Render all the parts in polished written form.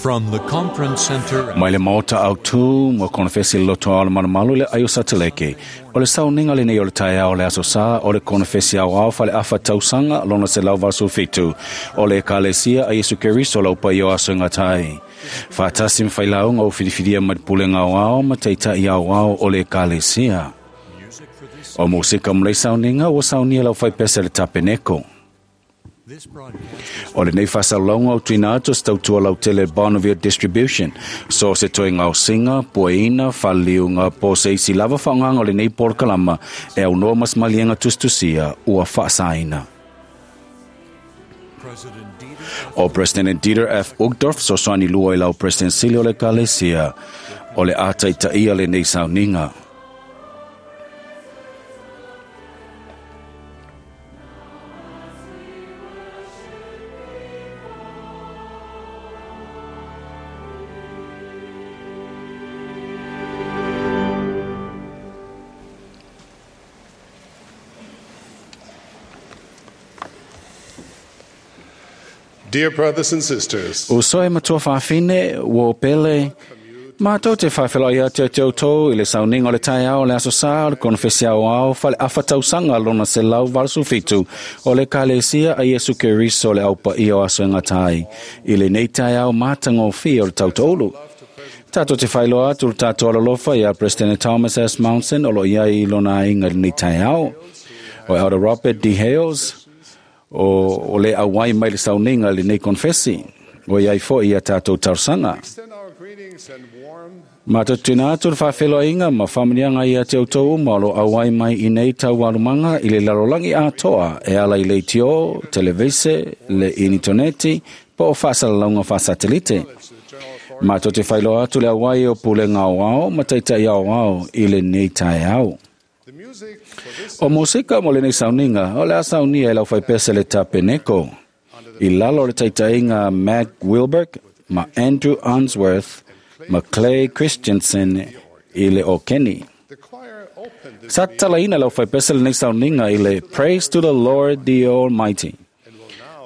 From the conference center Mai le maota autū mo konofesi le loto ao le malumalu le aio sateleke. O le sauniga lenei o le taeao o le Aso Sa o le konofesi aoao faaleafa tausaga lona 187 o le Ekalesia a Iesu Keriso lau paia o aso e gata ai. Faatasi ma failauga o filifilia mai le pulega aoao ma taitai aoao o le Ekalesia. O musika mo lei sauniga ua saunia lau faipese le tapeneko. O lenei faasalalauga o tuuina atu o se tautua lautele Bonneville Distribution. So se toe gaosiga, puaina, faleliuga po o se isi lava faaaogaga o lenei polokalama e aunoa ma se maliega tusitusia ua faasaina. O President Dieter F. Uchtdorf fesoasoani lua i lau President sili o le Ekalesia o le a taitaia lenei sauniga. Dear brothers and sisters, Uso e matua faafine, ua o pele, matou te faafeiloai atu ia te outou i le sauniga o le taeao o le Aso Sa o le Konofesi Aoao Faleafa Tausaga lona 187 o le Ekalesia a Iesu Keriso o le Au Paia o Aso e Gata ai i lenei taeao matagofie o le tautoaulu. Tatou te faailoa atu le tatou alolofa iā Peresetene Thomas S. Monson o lo o i ai i lona aiga i lenei taeao. O Elder Robert D. Hales, o, o le auai mai le sauniga i lenei konofesi, o i ai foi ia tatou talosaga. extend our greetings and warm Matou te tuuina atu le faafeiloaiga ma faamanuiaga ia te outou uma o lo o auai mai i nei taualumaga i le lalolagi atoa e ala i leitio, televise, le initoneti, po o faasalalauga faasatelite. Matou te faailoa atu le auai o pulega aoao ma taitai aoao i lenei taeao. the music for this O musika mo lenei sauniga, o le a saunia e lau faipese le tapeneko. I lalo o le taitaiga Mac Wilberg ma Andrew Unsworth ma Clay Christensen i le okeni. the choir opened this Sa tatalaina lau faipese lenei sauniga i le Praise to the Lord the Almighty.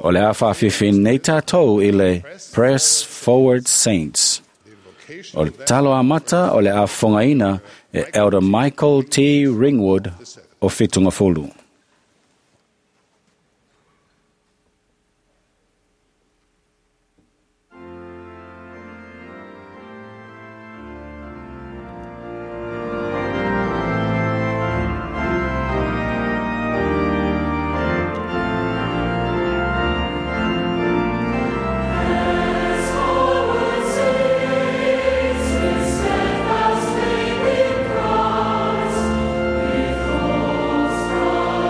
O le a faafiafi nei tatou i le Press Forward Saints. invocation O le talo amata o le a fofogaina e Elder Michael T. Ringwood o Fitungafulu. Steadfast faith in Christ, with full strength.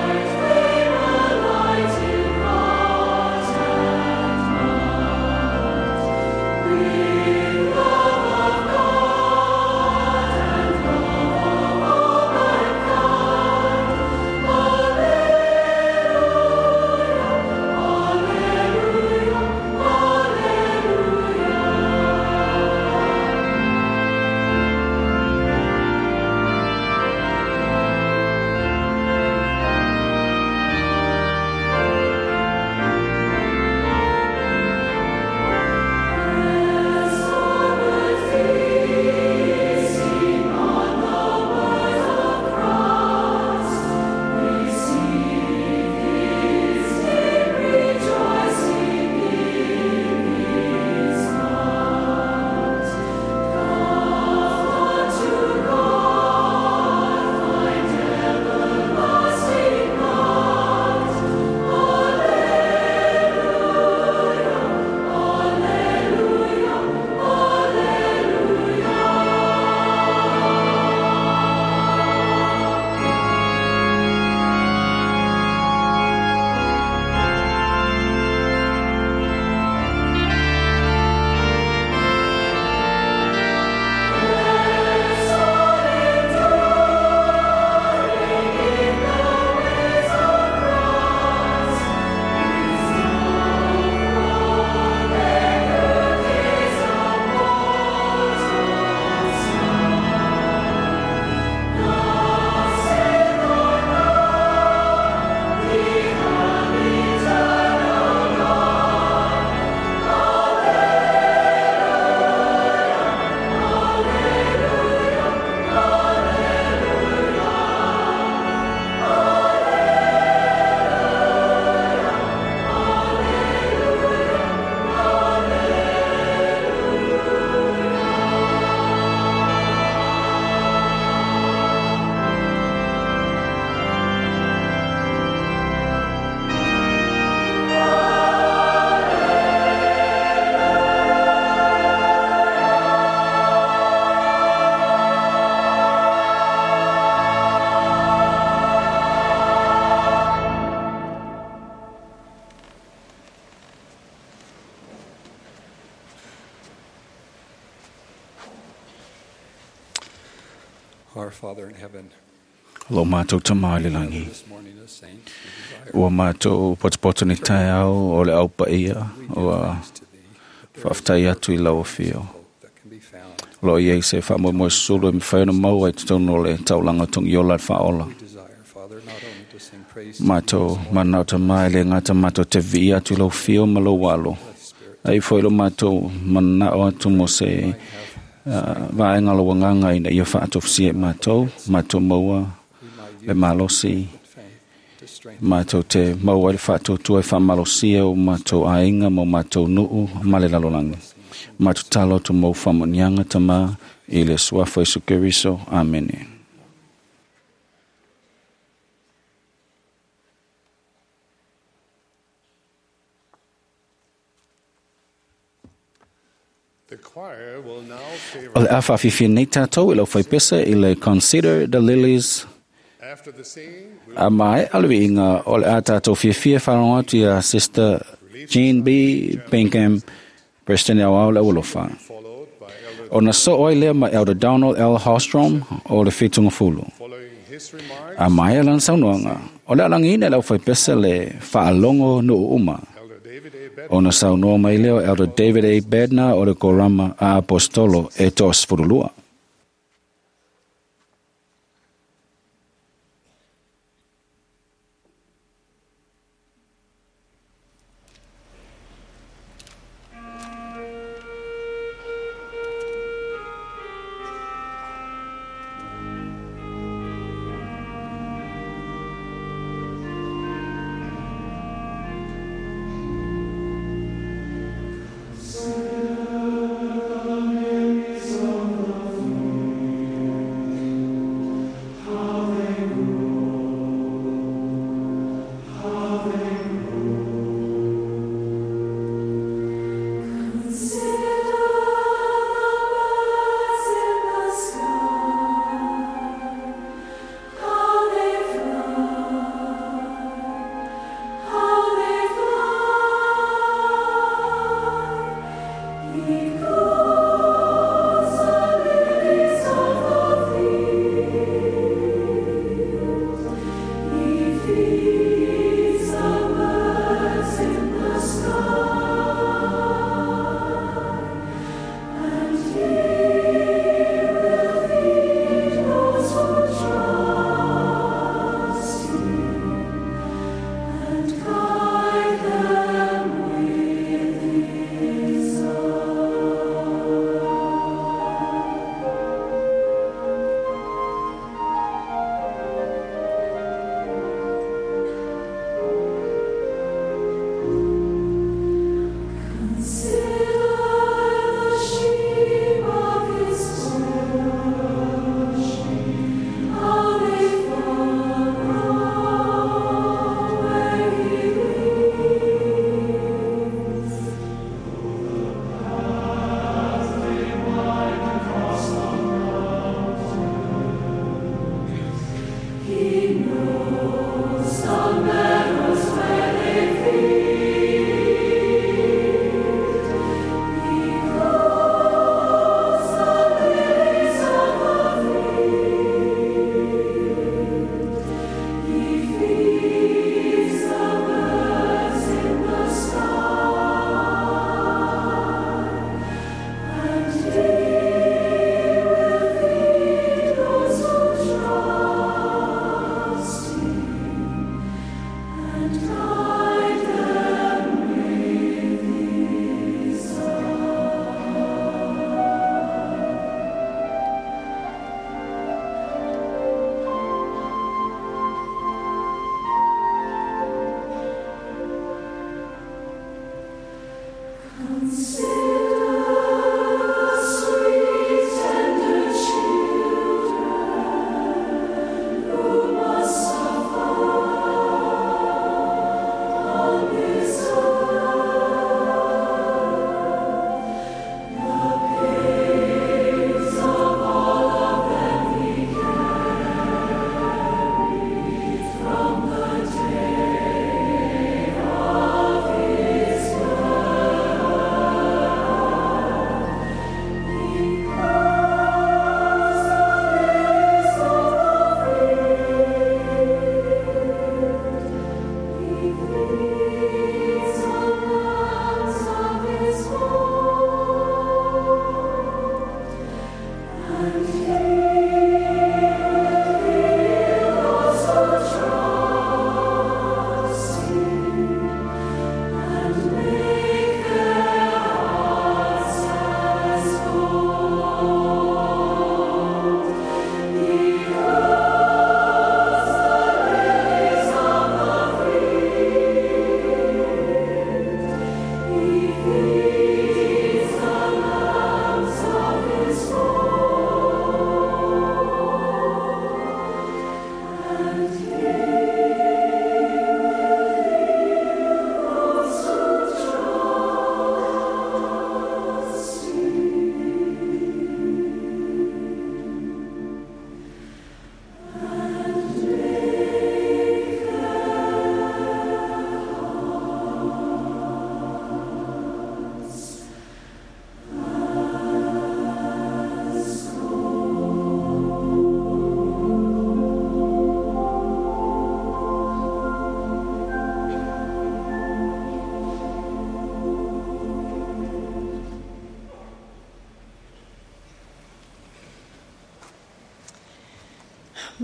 Our Father in heaven, Lo mātou tamā i le langi. this morning as saints, we desire Ua mātou potopoto ni taeao o le au paia, ua thanks to thee, that there is whaaftai atu i lau whio. hope that can be found. Lo iei se whaamoemoe sulu e mwhai ona maua i te tonu o le taulanga tongi ola le whaola. We desire, Father, not only to sing praise to thee Mātou this morning, manao tamā i le ngata mātou te vii atu i lau whio ma lau walo. Holy Spirit, Ai foi lo mātou manao atu mo se might have, vaenga lo wanganga ina ia whaatofisia i mātou, mātou maua we might le use malosi. faith to strengthen Mātou te maua i le whaatotua i whamalosia o mātou ainga mo mātou nuu ma le lalolangi. Mātou talo atu mau whamonianga tamā i le suafa Isu Keriso. Amene. The choir will now O favor le a whaafifia nei tātou i lau whaipesa i le Consider the Lilies after the singing. We a mai alui inga o le a tātou fiafia wharongo atu ia Sister Jean B. Pinkham, President au au le ulofa. followed by Elder O na so oi lea ma Elder Donald L. Hostrom o le whitunga fulu. following his remarks. A mai lan saunoanga. O le alangi ina lau whaipesa le whaalongo no uma. Elder David A. Bednar O na saunoa mai leo Elder David A. Bednar o le korama a apostolo e tos furulua. Sing the lilies of the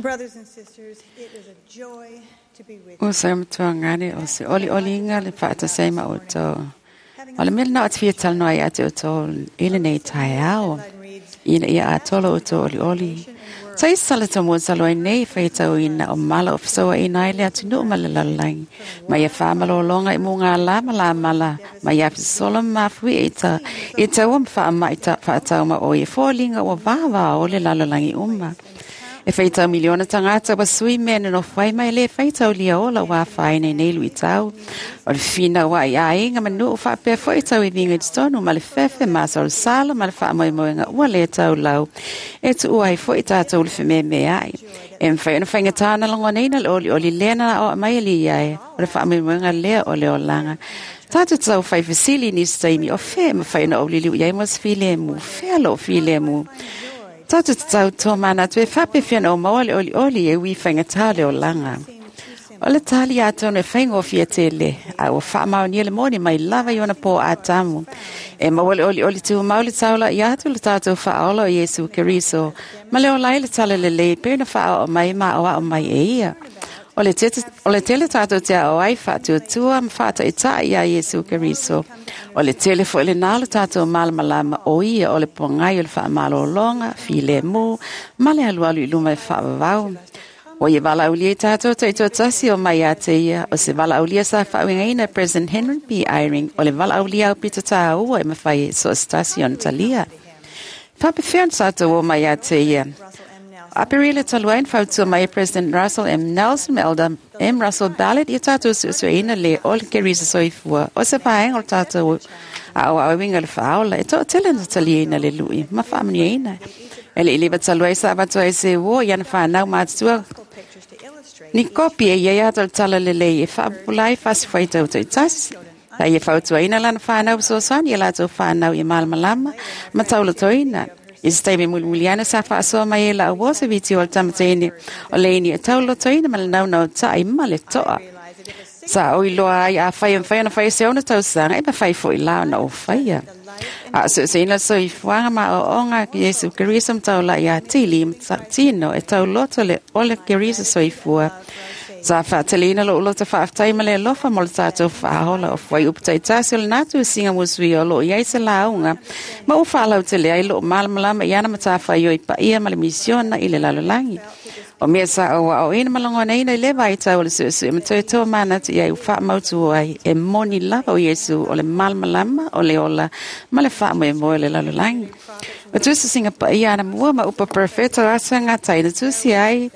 Brothers and sisters, it is a joy to be with you. O sa matuangane o se oli oli inga le whaatasei ma o tō. O le mea na o te whia talanoa ia te o tō ile nei tae ao. Ina ia atolo o tō oli oli. Sa i sala tō mua salo ai nei whaitau ina o mala o whasoa ina ai le atu nuu ma le lalalangi. Ma ia whaamalolonga i mō ngā la ma la mala. Ma ia fisola mafui i ta i taua ma whaama i ta whaatau ma o i fōlinga o vāvā o le lalalangi uma. E whaitau miliona tangata wa sui mea no whai mai le whaitau lia ola wā whai nei nei lui tau. O le whina wa i ainga manu o whapea fo i tau i vinga i tonu ma le whewhe masa o le sala ma le wha moi moenga ua le tau lau. E tu ua i fo i tātou le wheme me ai. E mwhai ona whainga tāna longo neina le oli oli lena o mai li ai. O le wha moi moenga lea o le olanga. Tātou tau whai whasili ni staimi o whea ma whai na o lili ui ai mos while mu. Whea lo while mu. Tātou te tau tō mana tu e whape whiana o maole oli oli e ui whainga tāle o langa. O le tāli a tōna e whaingo whia tele, a o whaamau ni le moni mai lava i ona pō a tamu. E maole oli oli tū mauli taula i atu le tātou whaola o Yesu Keriso. Ma le o lai le tala le le pēna whaao o mai ma o ao mai e ia. O le tele tātou te ao ai whaatuatua ma whaata i tā ia Yesu Keriso. O le tele fo le nalo tātou malamalama o ia o le pongai o le whaamalolonga, while mō, ma le alualu i luma e whaavavau. O ia walaulia i tātou te ito tasi o mai a te ia, o se walaulia sa whaawingaina President Henry B. Eyring, o le walaulia au pita tāua e mawhai e so stasi o Natalia. Whapewhian tātou o mai a te ia. Aperile taluain fautua mai President Russell M. Nelson Elder M. Russell Ballard i tātou suesueina le o le Kerisa soifua. O se paenga o tātou a o awinga le whaola e tō tele Nataliaina le lui, ma whaamaniaina. E le iliwa taluai sa avatua e se uo i ana whanau mātua. Ni kopi e ia ato le tala lelei e whaapulai whasiwhai tau tau tasi. Ta ia fautuaina lana whanau soosani ia lātou whanau i malamalama ma taula toina. I se taimi mulimuliana sa whaasoa mai e la o se viti o le tamatene o leini e taulotoina ma le naunau ta'i ma le toa. Sa o iloa ai a whai whai ana whai se ona tausanga e ma whai fo i lao na o whaia. A suesueina soifuaga ma aoaoga Iesu Keriso ma taula'i atili ma tino e tauloto le ole Keriso soifua. Sa faateleina lo'u loto faafetai ma le alofa mo le tatou faaola o fuai upu taitasi o le natu e siga musuia o loo iai se lauga ma ua faalautele ai loo malamalama i ana matafaioi paia ma le misiona i le lalolagi. O mea sa o aoina ma lagonaina i le vaitau o le suesue ma toetoa manatu iai ua faamautu ai e moni lava o Iesu o le malamalama o le ola ma le faamoemoe o le lalolagi. O tusi siga paia ana mua ma upa perfeto asa gataina tusi ai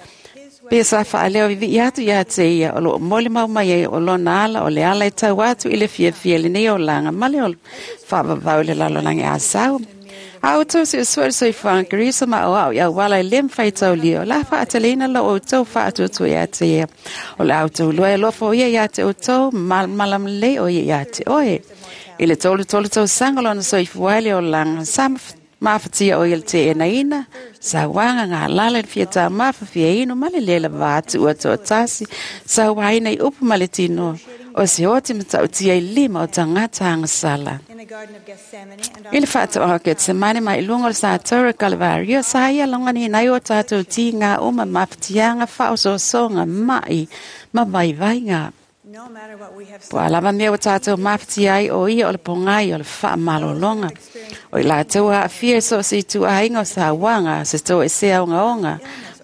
pe sa whaaleo i atu ia te ia o loo mole mau mai ai o lona ala o le ala e tau atu i le fiafia le nei o langa ma le o whaavavau le lalolagi a sau. A o tau se usua le soifuaga Keriso ma o au i auala e le mawhai tau lio. La whaataleina lo o tau whaatuatu ia te ia. O le au tau lua e lofo ia ia te o tau malam le o ia ia te oe. I le tolu tolu tau sanga lona soifua le o langa sa mafatia o ia le te enaina, sa wanga ngā lala le fia tā mawhawhia ino ma le lela vātu ua toa tasi, sa waina i upu ma le tino, o se oti matautia i lima o tangata anga sala. I le faatoaga o Ketsemane mai luga o le satora Kalvario, sa ia loganiina ai o tatou tiga uma mafatiaga, faaosoosoga, ma'i ma vaivaiga. Po o a lava mea ua tatou mafatia ai, o ia o le pogai o le faamalologa. O i latou ua aafia i so o se ituaiga o sauaga, se toesea ogaoga,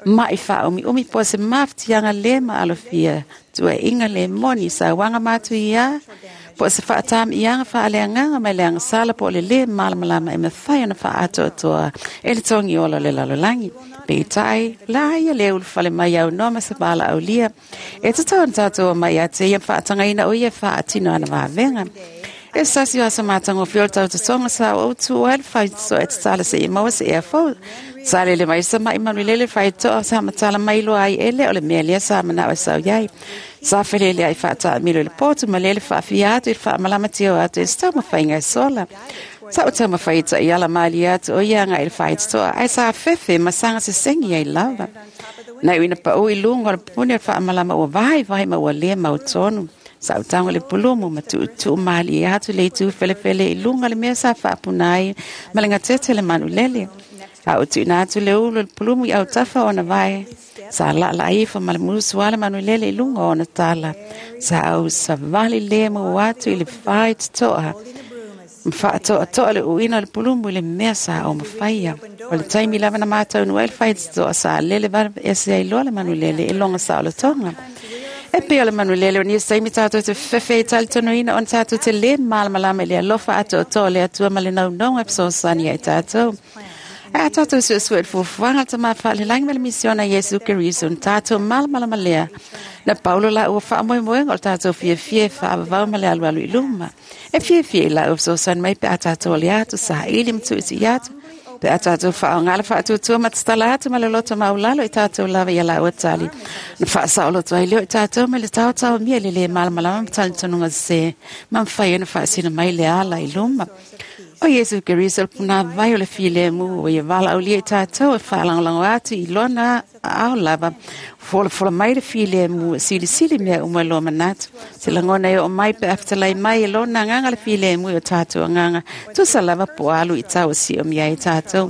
ma'i faaumiumi po o se mafatiaga lē maalofia, tuuaiga lē moni, sauaga matuiā, po o se faatami'iaga faaleagaga mai le agasala po o le lē malamalama, e mafai ona faaatoatoa e le togi ola o le lalolagi. Peitai, la ia le ulufale mai aunoa ma se valaaulia. E tatau ona tatou omai ia te ia ma faatagaina o ia e faatino ana vavega. E se tasi o aso matagofie o le tautotoga sa ou tuua ai le faitotoa e tatala seia maua se ea fou. Sa lele mai se ma'i manulele faitotoa sa matala mai loa ai e le o le mea lea sa manao e sau iai. Sa feleleai faataamilo i le potu ma lele faafia atu i le faamalamatia o atu e se taumafaiga e sola. Sa ou taumafai e ta'iala malie atu o ia aga'i le faitotoa, ae sa fefe ma saga sesegi ai lava. Na iu ina pa'ū i luga o le puni o le faamalama ua vaivai ma ua lē mautonu. Sa ou tago i le pulumu ma tuutuu malie atu le itu felefele i luga o le mea sa faapuna ai ma le gatete le manulele. A ou tuuina atu le ulu o le pulumu i autafa o ona vae, sa laalaa ifo ma le musu a le manulele i luga o ona tala. Sa ou savali lemu atu i le faitotoa ma faatoatoa le uina o le pulumu i le mea sa ou mafaia. O le taimi lava na mataunuu ai le faitotoa, sa lele ese ai loa le manulele i lona saolotoga. E pei o le manulele o nisi taimi tatou te fefe i talitonuina ona tatou te lē malamalama i le alofa atoatoa o le Atua ma le naunauga e fesoasoani ai tatou. Ae a tatou suesue i le fuafuaga a le Tamā Faalelagi ma le misiona Iesu Keriso, ona tatou malamalama lea. Na paulo la ua faamoemoega o le tatou fiafia e faavavau ma le alualu i luma. E fiafia i laua fesoasoani mai pe a tatou ale atu, saili ma tuutu'i atu, pe a tatou faaaogā le faatuatua ma tatala atu ma le loto maualalo i tatou lava ia laua tali. Na faasaoloto ai lea o i tatou mai le taotaomia i le lē malamalama ma talitonuga sesē, ma mafai ai ona faasino mai le ala i luma. O Iesu Keriso le punāvai o le filemu, ua ia valaaulia i tatou e faalagolago atu i lona aao lava. Folafola mai le filemu e silisili mea uma i loa manatu. Se lagona e oo mai pe a fetalai mai e lona agaga le filemu i o tatou agaga, tusa lava po o alu i tau e siomia ai tatou.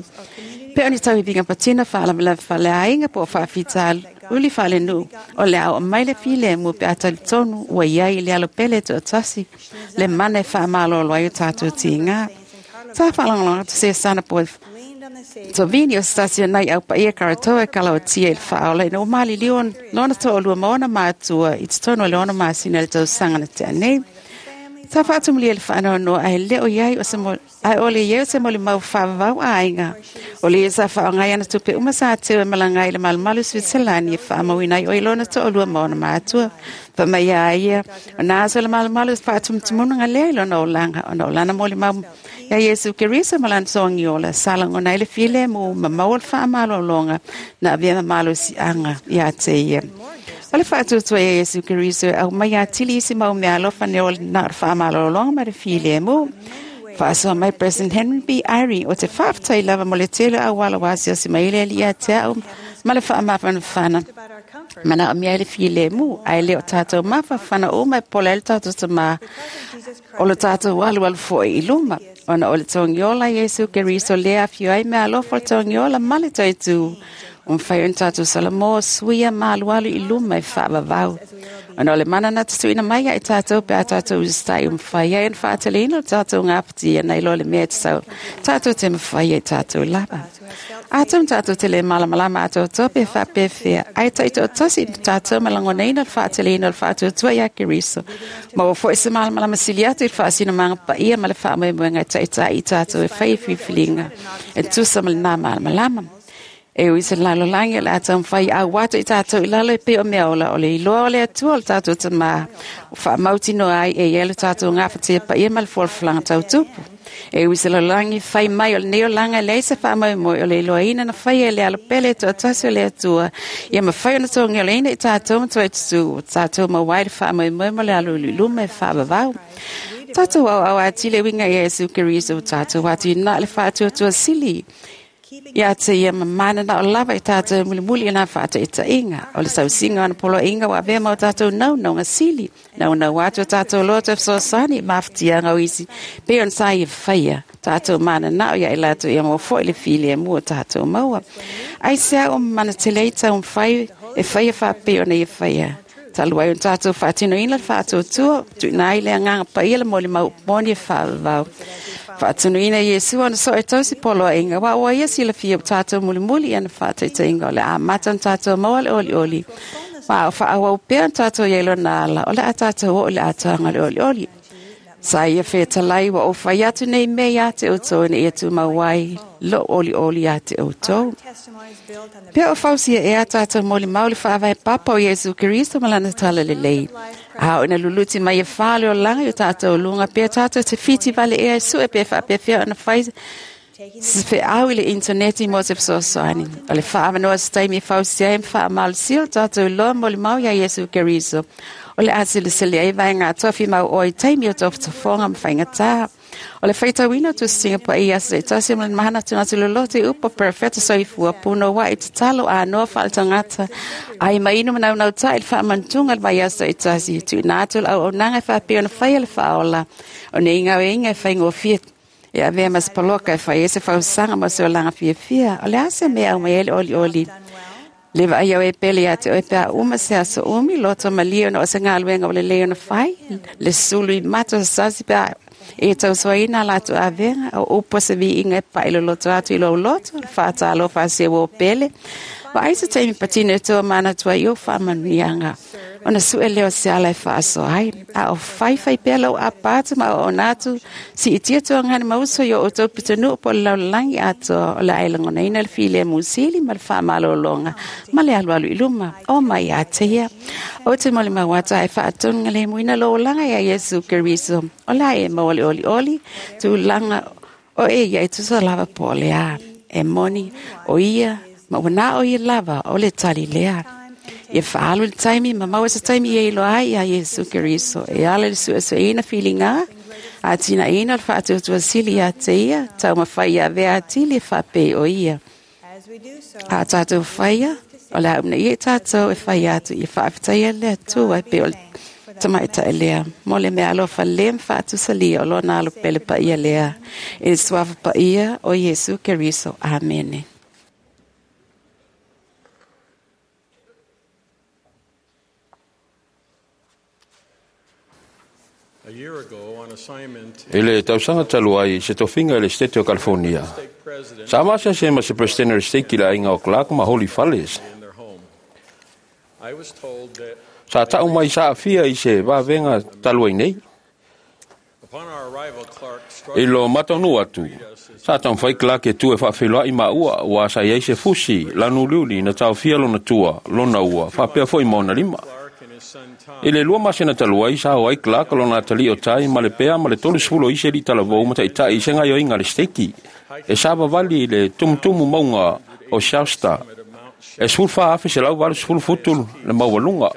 Pe o ni tauiviga patino, faalavelave faaleaiga po o faafitauli faalenuu, o le a oo mai le filemu pe a talitonu ua i ai i le alo pele e toatasi le mana e faamalolo ai o tatou tiga. Sa faalagolago atu se sana po Tovini o se tasi o nai au paia Karatoa e kalaotia i le faaola ina ua maliliu lona toalua ma ona matua i totonu o le 6 masina i le tausaga na tea nei. Sa faatumulia i le faanoanoa ae le o iai o se mo, ae o le iai o se molimau faavavau aiga. O le ia sa faaaoga ai ana tupe uma sa teu e malaga ai i le malumalu i Switzerland e faamauina ai o i lona toalua ma ona matua. Fa mai a ia, o nā aso le malumalu faatumutumunuga lea i lona olaga, ona o lana molimau ia Iesu Keriso ma lana togi ola, sa lagona ai le filemu ma maua le faamalologa na avea ma malosiaga ia te ia. O le faatuatua ia Iesu Keriso e aumai atili isi mau mea alofa ne o na o le faamalologa ma le filemu. Faasoa mai President Henry B. Eyring o te faafetai lava mo le tele o auala ua asiasi mai ai le Alii ia te a'u ma le faamafanafana. Manaomia ai le filemu, ae le o tatou mafanafana uma e pola ai le tatou tamā o lo tatou alualu foi i luma. Ona o le togiola Iesu Keriso lea afio ai mea alofa o le togiola ma le toitū. O mafai ona tatou salamo suia ma alualu i luma e faavavau. Ona o le mana na tutuina mai ia i tatou pe a tatou usitai o mafai ai ona faateleina o tatou gafatia nai lo le mea e tatau tatou te mafai ai tatou lava. Atonu tatou te lē malamalama atoatoa pe faapefea, ae taitoatasi tatou ma lagonaina le faateleina o le faatuatua iā Keriso. Ma ua foi se malamalama sili atu i le faasinomaga paia ma le faamoemoega e taita'i i tatou e fai e filifiliga e tusa ma lenā malamalama. E ui se lalolagi o le a taumafai au atu i tatou i lalo e pei o mea ola, o le iloa o le Atua o le tatou tamā, o faamautinoa ai e ia le tatou gafatia paia ma le folafolaga tautupu. E ui se lalolagi fai mai o lenei olaga e leai se faamoemoe, o le iloaina na faia e le alo pele e toatasi o le Atua, ia mafai ona togiolaina i tatou ma toe tutū, o tatou maua ai le faamoemoe mo le alu i luma e faavavau. Tatou auau atili e uiga ia Iesu Keriso, tatou atu i na le faatuatua sili. Ia te ia mamana na o lava i tātou mulimuli i nā whaataitaiga. O le sausiga o ana poloaiga ua avea ma o tatou naunauga sili. Naunau atu o tatou loto e fesoasoani i mafatiaga o isi pei ona sa ia faia. Tatou mananao ia i latou ia maua foi le filemu o tatou maua. Aisea ua mamana tele ai taumafai e faia faapei ona ia faia. Talu ai ona tatou faatinoina le faatuatua, tuuina ai le agaga paia le molimau moni e faavavau. Faatunuina Iesu ona so e tausi poloaiga, aua ua ia silafia ua tatou mulimuli i ana faataitaiga o le amata ona tatou maua le olioli. Ma o faaauau pea ona tatou i ai lona ala, o le a tatou oo i le atoaga o le olioli. Sa ia fetalai ua ou fai atu nei mea ia te outou ina ia tumau ai lou olioli ia te outou. Testimonies built on the Pea o fausia ea tatou molimau le faavae papa o Iesu Keriso ma lana talalelei. A o ina luluti mai e whale o langa i o tātou lunga, pea tātou te whiti vale ea e sue pe whaapewhea ona whai se feau i le interneti mo te fesoasoani. O le whaamanoa se taimi e fausia ai ma whaamalosia o tātou loa molimau ia Iesu Keriso. O le asilasili ai vai ngā tofi mau o i taimi o tofotofoga ma faigata. O le faitauina o tusiga paia se tasi ma le mahana tuna tu loloto i upo perfecto soifua puno wa i tatalo a noa whaaletangata. Ai mainu manau tai le whaamantunga le vai aso i tasi. Tuina atu le auaunaga e whaapea ona whaia le whaola. O ne inga o inga e whaingofia e avea mas paloka e whai e se whausanga mo se olanga fiafia. O le ase mea au mai ele oli oli. Le vai au e pele ia te oe pea uma se aso umi, loto malia ona o se ngā luenga o le leo na whai, le sulu i mato sasi pea e tausoaina a latou avega, o upu se viiga e paʻiloloto atu i lou loto, le faatalofa a se ua o pele. Vaai se taimi patino e tua manatua ai o faamanuiaga. Ona sue lea o se ala e faasoa ai. A o faifai pea lau apa atu ma auauna atu, siitia tuagani ma uso i o outou pitonuu po o le lalolagi atoa o le a e lagonaina le filemu sili ma le faamalōlōga ma le alualu i luma. O mai ia te ia. O te molimau atu ae faatonuga lou olaga ia Iesu Keriso. O le a e maua le olioli, tulaga o e ia e tusa lava po o le a. E moni o ia, ma ua na o ia lava o le tali lea. Ia faalu le taimi, ma maua se taimi ia iloa ai ia Iesu Keriso. E ala i le suesueina filiga, atinaʻina o le faatuatua sili ia te ia, taumafai ia avea atili e faapei o ia. As we do so, A tatou faia, o le a umanaia i tatou e fai atu ia faafetaia le Atua e pei o le tamaitaʻi lea. Mo le mea alofa lē ma faatusalia o lona alo pele paia lea. I le suafa paia o Iesu Keriso. Amene. A year ago, on assignment, I le tausaga talu ai se tofiga i le State o California. state president Sa masease ma se presidente o le State i le aiga o Clark ma Holy Fales. in their home. I was told that Sa ta'u mai sa afia i se vavega talu ai nei. upon our arrival, Clark I struggled lo mataunuu atu, sa taumafai Clark e tu e faafeiloa'i maua ua sa i ai se fusi lanuliuli na taofia lona tua, lona ua, faapea foi ma ona lima. Clark and his son Tom I le 2 masina talu ai sa o ai Clark lona atalii o tai ma le pea ma le 30 o isi alii talavou ma ta'ita'i i se gaioiga a le steiki. E sa vavali i le tumutumu mauga o Shasta. E 14,180 futu le maualuga,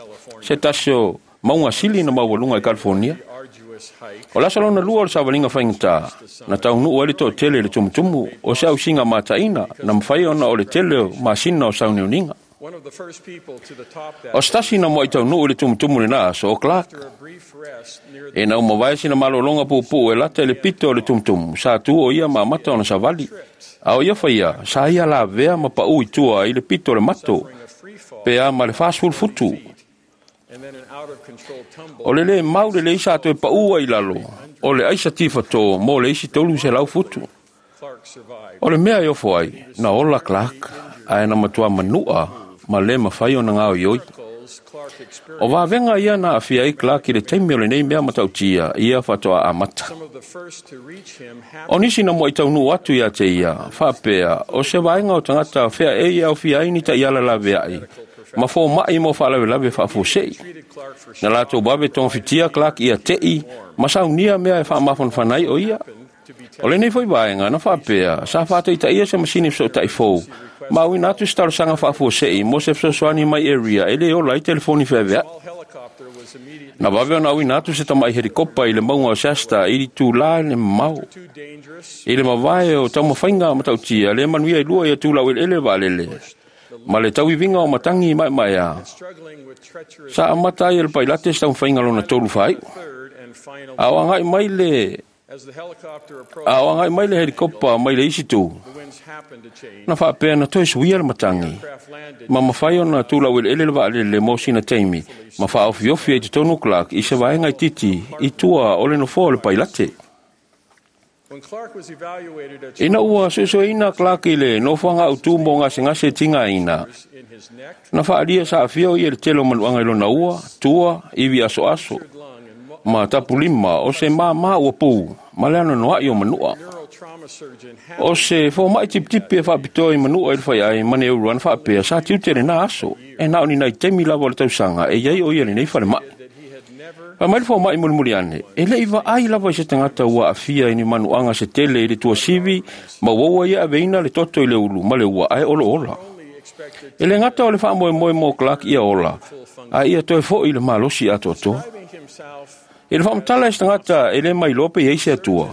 se tasi o mauga sili na maualuga i California. arduous hike O le aso lona lua o le savaliga faigata, na taunuu ai le toatele i le tumutumu o se ausiga mataʻina na mafai ona o le tele o masina o sauniuniga. One of the first people to the top that O se tasi na moaʻi taunuu i le tumutumu lenā aso o Clark. after a brief rest near the E na umavae sina malōlōga puupuu e lata i le pito o le tumutumu, sa tu o ia ma amata ona savali. A o ia faia, sa ia lavea ma paʻu i tua ai le pito o le mato, a free fall pe a ma le 40 futu. and then an out of control tumble O le lē mau lelei sa toe paʻu ai lalo, o le aisa tifatō mo le isi 300 futu. Clark survived. O le mea e ofo ai, na ola Clark, ae na matua manuʻa ma lē mafai ona gaoioi. Miracles Clark experienced O vavega ia na aafia ai Clark i le taimi o lenei mea matautia, ia faatoa amata. some of the first to reach him O nisi na moaʻi taunuu atu ia te ia, faapea, o se vaega o tagata fea e ia aufia ai ni taʻiala laveaʻi, ma fōmaʻi mo faalavelave faafuaseʻi. treated Clark for Na latou vave togafitia Clark ia teʻi, ma saunia mea e faamafanafana ai o ia. O lenei foi vaega na faapea, sa faataitaia se masini fesootaʻi fou, ma auina atu se talosaga faafuaseʻi mo se fesoasoani mai area e lē ola ai telefoni feaveaʻi. small helicopter was Na vave ona auina atu se tamaʻi helikopa i le mauga o Shasta i itulā le mamao. I le mavae o taumafaiga matautia le manuia i lua ia tulaueleele vaalele ma le tauiviga o matagi maemaea. Sa amata ai e le pailate se taumafaiga lona tolu faaiu. A o agai mai le helikopa mai le isi tu, na faapea na toe suia le matagi ma mafai ona tulaueleele le vaalele mo sina taimi ma faaofiofi ai totonu Clark i se vaega itiiti i tua o le nofoa o le pailate. Ina ua suesueina Clark i le nofoaga autū mo gasegase tigaina, na faaalia sa aafia o ia i le tele o manuaga i lona ua, tua, ivi asoaso, ma tapulima o se māmā ua pū ma le anoanoaʻi o manua. O se fōmaʻi tipitipi e faapitoa i manua i le faiai ma ne uluana faapea sa tiute lenā aso, e na o ni nai taimi lava o le tausaga e iai o ia lenei falemai. Fai mai le fōmaʻi mulimuli ane, e leʻi vaai lava i se tagata ua aafia i ni manuaga se tele i le tuasivi ma uaua ia aveina le toto i le ulu ma le ua ae oloola. E le gata o le faamoemoe mo Clark ia ola, a ia toe foʻi le malosi atoatoa. I le faamatala e se tagata e lē mailoa pe iai se atua.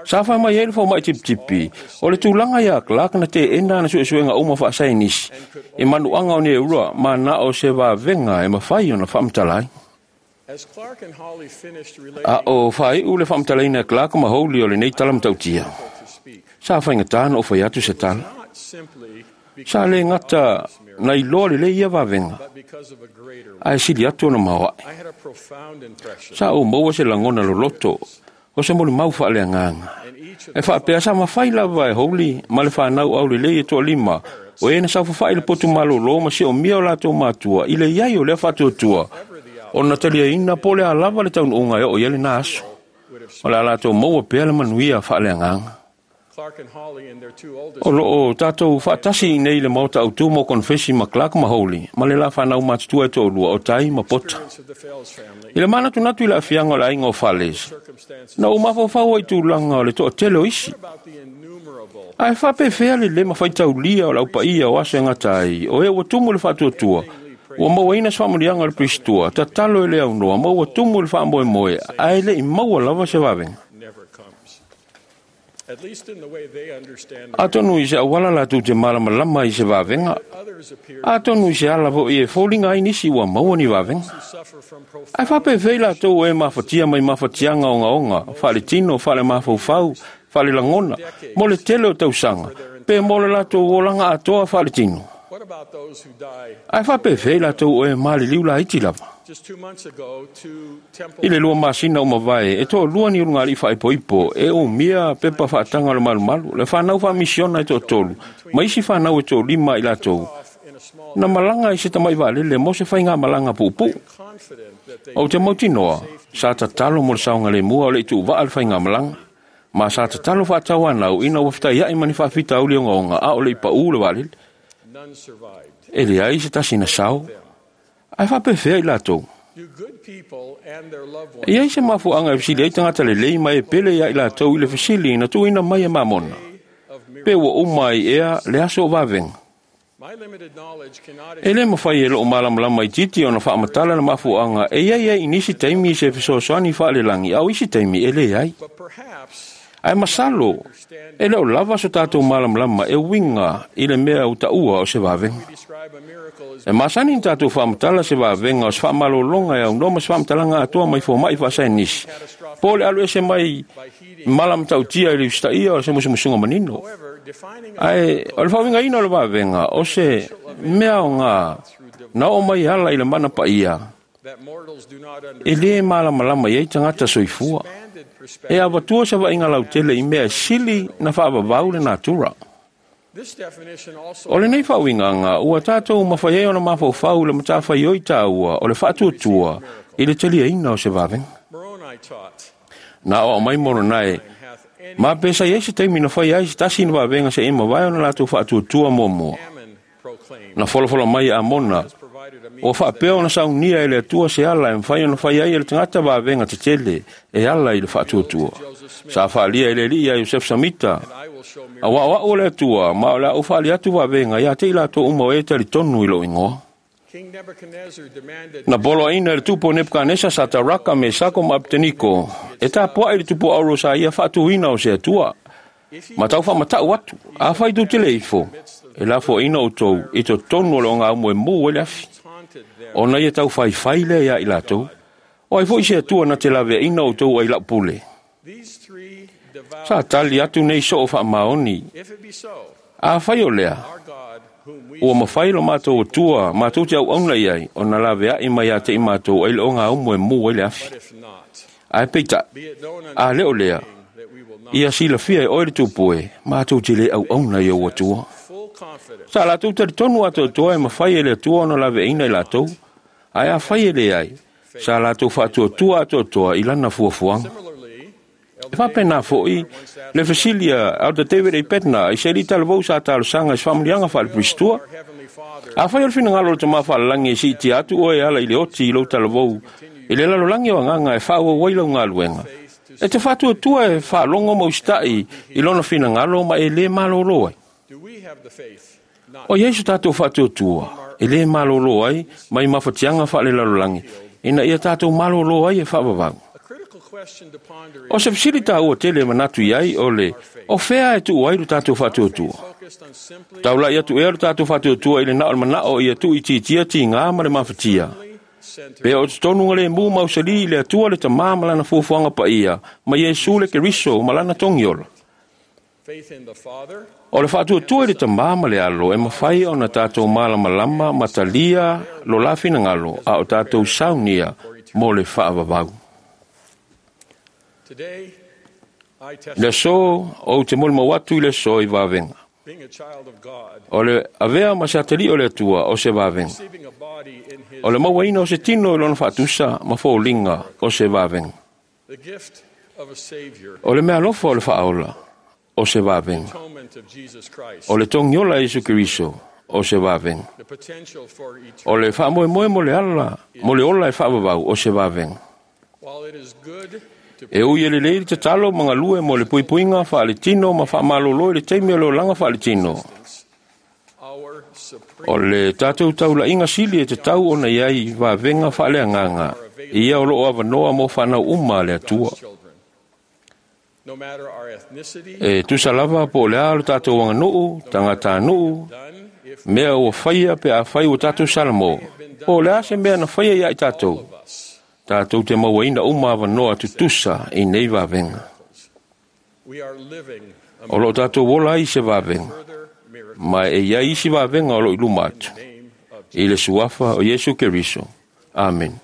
Sa fai mai ai le fōmaʻi tipitipi, o le tulaga iā Clark na teena ana suesuega uma faasainisi i manuaga o neura ma na o se vavega e mafai ona faamatala ai. A o faaiʻu le faamatalaina e Clark ma Holy o lenei tala matautia, sa faigatā na ou fai atu se tala. Sa le gata na iloa lelei ia vavega, ae sili atu ona maoaʻe. Sa ou maua se lagona loloto o se molimau faaleagaga. E faapea sa mafai lava e Holy ma le fanau aulelei e toalima o e na saufafaʻi le potu malōlō ma siomia o latou matua i le iai o lea faatuatua ona taliaina po o le a lava le taunuuga e oo i ai lenā aso. O le a latou maua pea le manuia faaleagaga. O loo tatou faatasi i nei le maota autū mo konefesi ma Clark ma Holy ma le la fanau matutua e toalua o Tai ma Pota. I le manatunatu i le aafiaga o le aiga o Fales, na ou mafaufau ai i tulaga o le toatele o isi. Ae faapefea le lē mafaitaulia o le aupaia o aso e gata ai, o e ua tumu le faatuatua, ua mauaina se faamanuiaga o le Pilistua, tatalo e le aunoa, ma ua tumu le faamoemoe, ae leʻi maua lava se vavega. Atonu i se auala latou te malamalama i se vavega, atonu i se ala foʻi e foliga ai nisi ua maua ni vavega. Ae faapefea i latou e mafatia mai mafatiaga ogaoga, faaletino, faalemafaufau, faalelagona, mo le tele o tausaga, pe mo le latou olaga atoa faaletino. Ae faapefea i latou e maliliu laiti lava. I le 2 masina o mavae, e toalua ni ulugalii faaipoipo e umia pepa faataga o le malumalu, le fanau faamisiona e toatolu, ma isi fanau e toalima i latou, na malaga i se tamaʻi vaalele mo se faigamalaga puupuu. Ou te mautinoa, sa tatalo mo le saogalēmua o le ituuvaa le faigamalaga, ma sa tatalo faatauanau ina ua fetaiaʻi ma ni faafitauli ogaoga a o le i paʻū le vaalele. E leai se tasi na sao, ae faapefea i latou. E iai se mafuaaga e fesili ai tagata lelei ma e pele ia i latou i le fesili na tuuina mai e Mamona, pe ua uma ai ea le aso o vavega. E lē mafai e loo malamalama itiiti ona faamatala le mafuaaga e iai ai i nisi taimi se fesoasoani faalelagi, a o isi taimi e leai. Ae masalo, e le o lava so tatou malamalama e uiga i le mea ua taua o se vavega. E masani na tatou faamatala se vavega o se faamalōloga e aunoa ma se faamatalaga atoa mai fōmaʻi faasaenisi, po o le alu ese mai mala matautia i le usitaia o se musumusuga manino. Ae o le faauigaina o le vavega o se mea aogā na oo mai ala i le mana paia, e lē malamalama i ai tagata soifua. E avatua se vaaiga lautele i mea e sili na faavavau le natura. O lenei faauigaga ua tatou mafai ai ona mafaufau i le matafaioi taua o le faatuatua i le taliaina o se vavega. Na oo mai Moronae, ma pe sa iai se taimi na fai ai se tasi na vavega se i mavae ona latou faatuatua muamua. Na folafola mai Amona, ua faapea ona saunia e le Atua se ala e mafai ona fai ai e le tagata vavega tetele e ala i le faatuatua. Sa faalia e le alii ia Iosefa Samita, auā o au o le Atua, ma o le a ou faali atu vavega ia te i latou uma o e talitonu i lou igoa. King Nebuchadnezzar demanded Na poloaiina e le tupu o Nepukanesa sa Taraka me Sako ma Apeteniko, e tapua'i le tupu auro sa ia faatuina o se Atua. Ma tau faamata'u atu, afai tou te le ifo, e lafoaina outou i totonu o le ogaumu e mū ai le afi. taunted them Ona ia taufaifai lea iā i latou. O ai foi se Atua na te laveaina outou ai la'u pule. These three devout Sa tali atu nei soo faamaoni. If it be so, Afai o lea, our God whom we ua mafai lo matou Atua, matou te auauna i ai, ona lavea'i mai ia te i matou ai le ogaumu e mū ai le afi. but if not, Ae peita'i, be it known unto a le o lea, the king that we will not ia silafia e oe le tupu e, matou te le auauna i ou Atua. full confidence Sa latou talitonu atoatoa e mafai e le Atua ona laveaina i latou, ae afai e leai, sa latou faatuatua atoatoa i lana fuafuaga. Similarly, E faapena fo'i, le fesili a Elder David A. Bednar i se alii talavou sa talosaga i se faamuliaga faaleperistua. our heavenly Father Afai o le finagalo o le tamā faalalagi e siitia atu oe e ala i le oti i lou talavou, i le lalolagi o agaga e faaauau ai lau galuega. E te faatuatua e faalogo ma usita'i i lona finagalo ma e lē malōlō ai. do we have the faith not O iai so tatou faatuatua, e lē malōlō ai mai mafatiaga faalelalolagi, ina ia tatou malōlō ai e faavavau. A critical question to ponder O is se fesili tāua tele e manatu iai o le, o fea e tuu ai lo tatou faatuatua. focused on simply Taula'i atu ea lo tatou faatuatua i le nao le mana'o ia tuuitiitia tigā ma le mafatia. centered Pe o totonu ga lemu mausali i le Atua le Tamā ma lana fuafuaga paia, ma Iesu le Keriso ma lana togiola. faith in the Father O le faatuatua i le Tamā ma le Alo e mafai ona tatou malamalama ma talia lo la finagalo a o tatou saunia mo le faavavau. Today, I Le testify aso ou te molimau atu i le aso i vavega. being a child of God, O le avea ma se atalii o le Atua o se vavega. receiving a body in his O le mauaina o se tino i lona faatusa ma foliga o se vavega. the gift of a Savior, O le mealofa o le faaola o se vavega. atonement of Jesus Christ, O le togiola e Iesu Keriso o se vavega. the potential for O eternity. le faamoemoe mo le ala, mo le ola e faavavau o se vavega. While it is good to E ui e lelei le tatalo ma galue mo le puipuiga faaletino ma faamalōlō i le taimi o le olaga faaletino. our supreme O le tatou taula'iga sili e tatau ona iai vavega faaleagaga, ia o loo avanoa mo fanau uma a le Atua. children. No matter our ethnicity, E tusa lava po o le a lo tatou aganuu, tagatanuu, done if mea ua faia pe afai ua tatou salamo, po o le a se mea na faia ia i tatou, of us, tatou te mauaina uma avanoa tutusa i nei vavega. we are living a O loo tatou ola ai se vavega, further miracle ma e iai isi vavega o loo i luma atu. in the name of I le suafa o Iesu Keriso. Amen.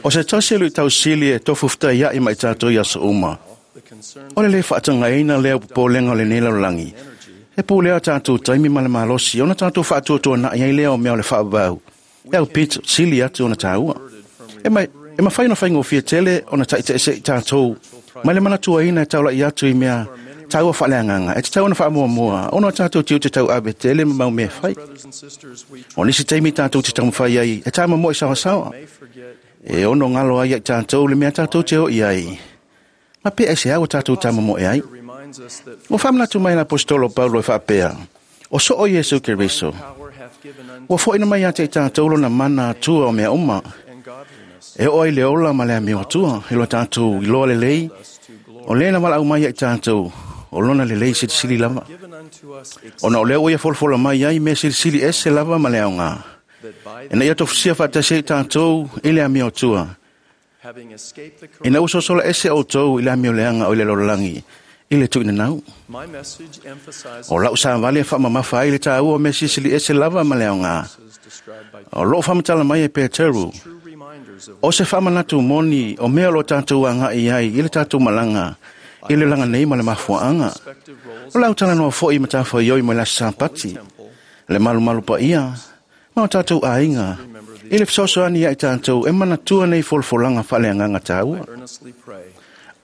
O se tasi e luʻitausili e tofufutaiaʻi ma i tatou i aso uma. O le lē faatagaina lea o popolega o lenei lalolagi. E pulea tatou taimi ma le malosi ona tatou faatuatuanaʻi ai lea o mea o le faavavau. E aupito sili atu ona tāua. E mai e mafai ona faigofie tele ona taʻitaʻiseʻi tatou mai le manatuaina e taulaʻi atu i mea taua faaleagaga e tatau ona faamuamua ona o tatou tiute tauave tele ma mau mea e fai. O nisi taimi tatou te taumafai ai e tāmamoe saoasaoa. E ono galo ai ia i tatou le mea tatou te o i ai. Ma pe aiseā ua tatou tāmamoe ai. Ua faamanatu mai le aposetolo Paulo e faapea, o soo Iesu Keriso. Ua foʻina mai ia te i tatou lona mana atua o mea uma. E oo ai le ola ma le amio atua, i lo tatou iloa lelei, o lē na valaau mai ia i tatou, o lona lelei silisili lava. Ona o lea ua ia folafola mai ai mea silisili ese lava ma le aogā. Ina ia tofusia faatasi ai tatou i le amio atua. Ina ua sosola ese outou i le amioleaga o i le lalolagi i le tuuinanau. O lau savali e faamamafa ai le tāua o mea silisili ese lava ma le aogā. O loo faamatala mai e Peteru, o se faamanatu moni o mea o lo tatou agaʻi ai i le tatou malaga i le laga nei ma le mafuaaga. O lau talanoa foʻi matafaioi mai le aso Sapati, le malumalu paia ma o tatou aiga i le fesoasoani ia i tatou e manatua nei folafolaga faaleagaga tāua.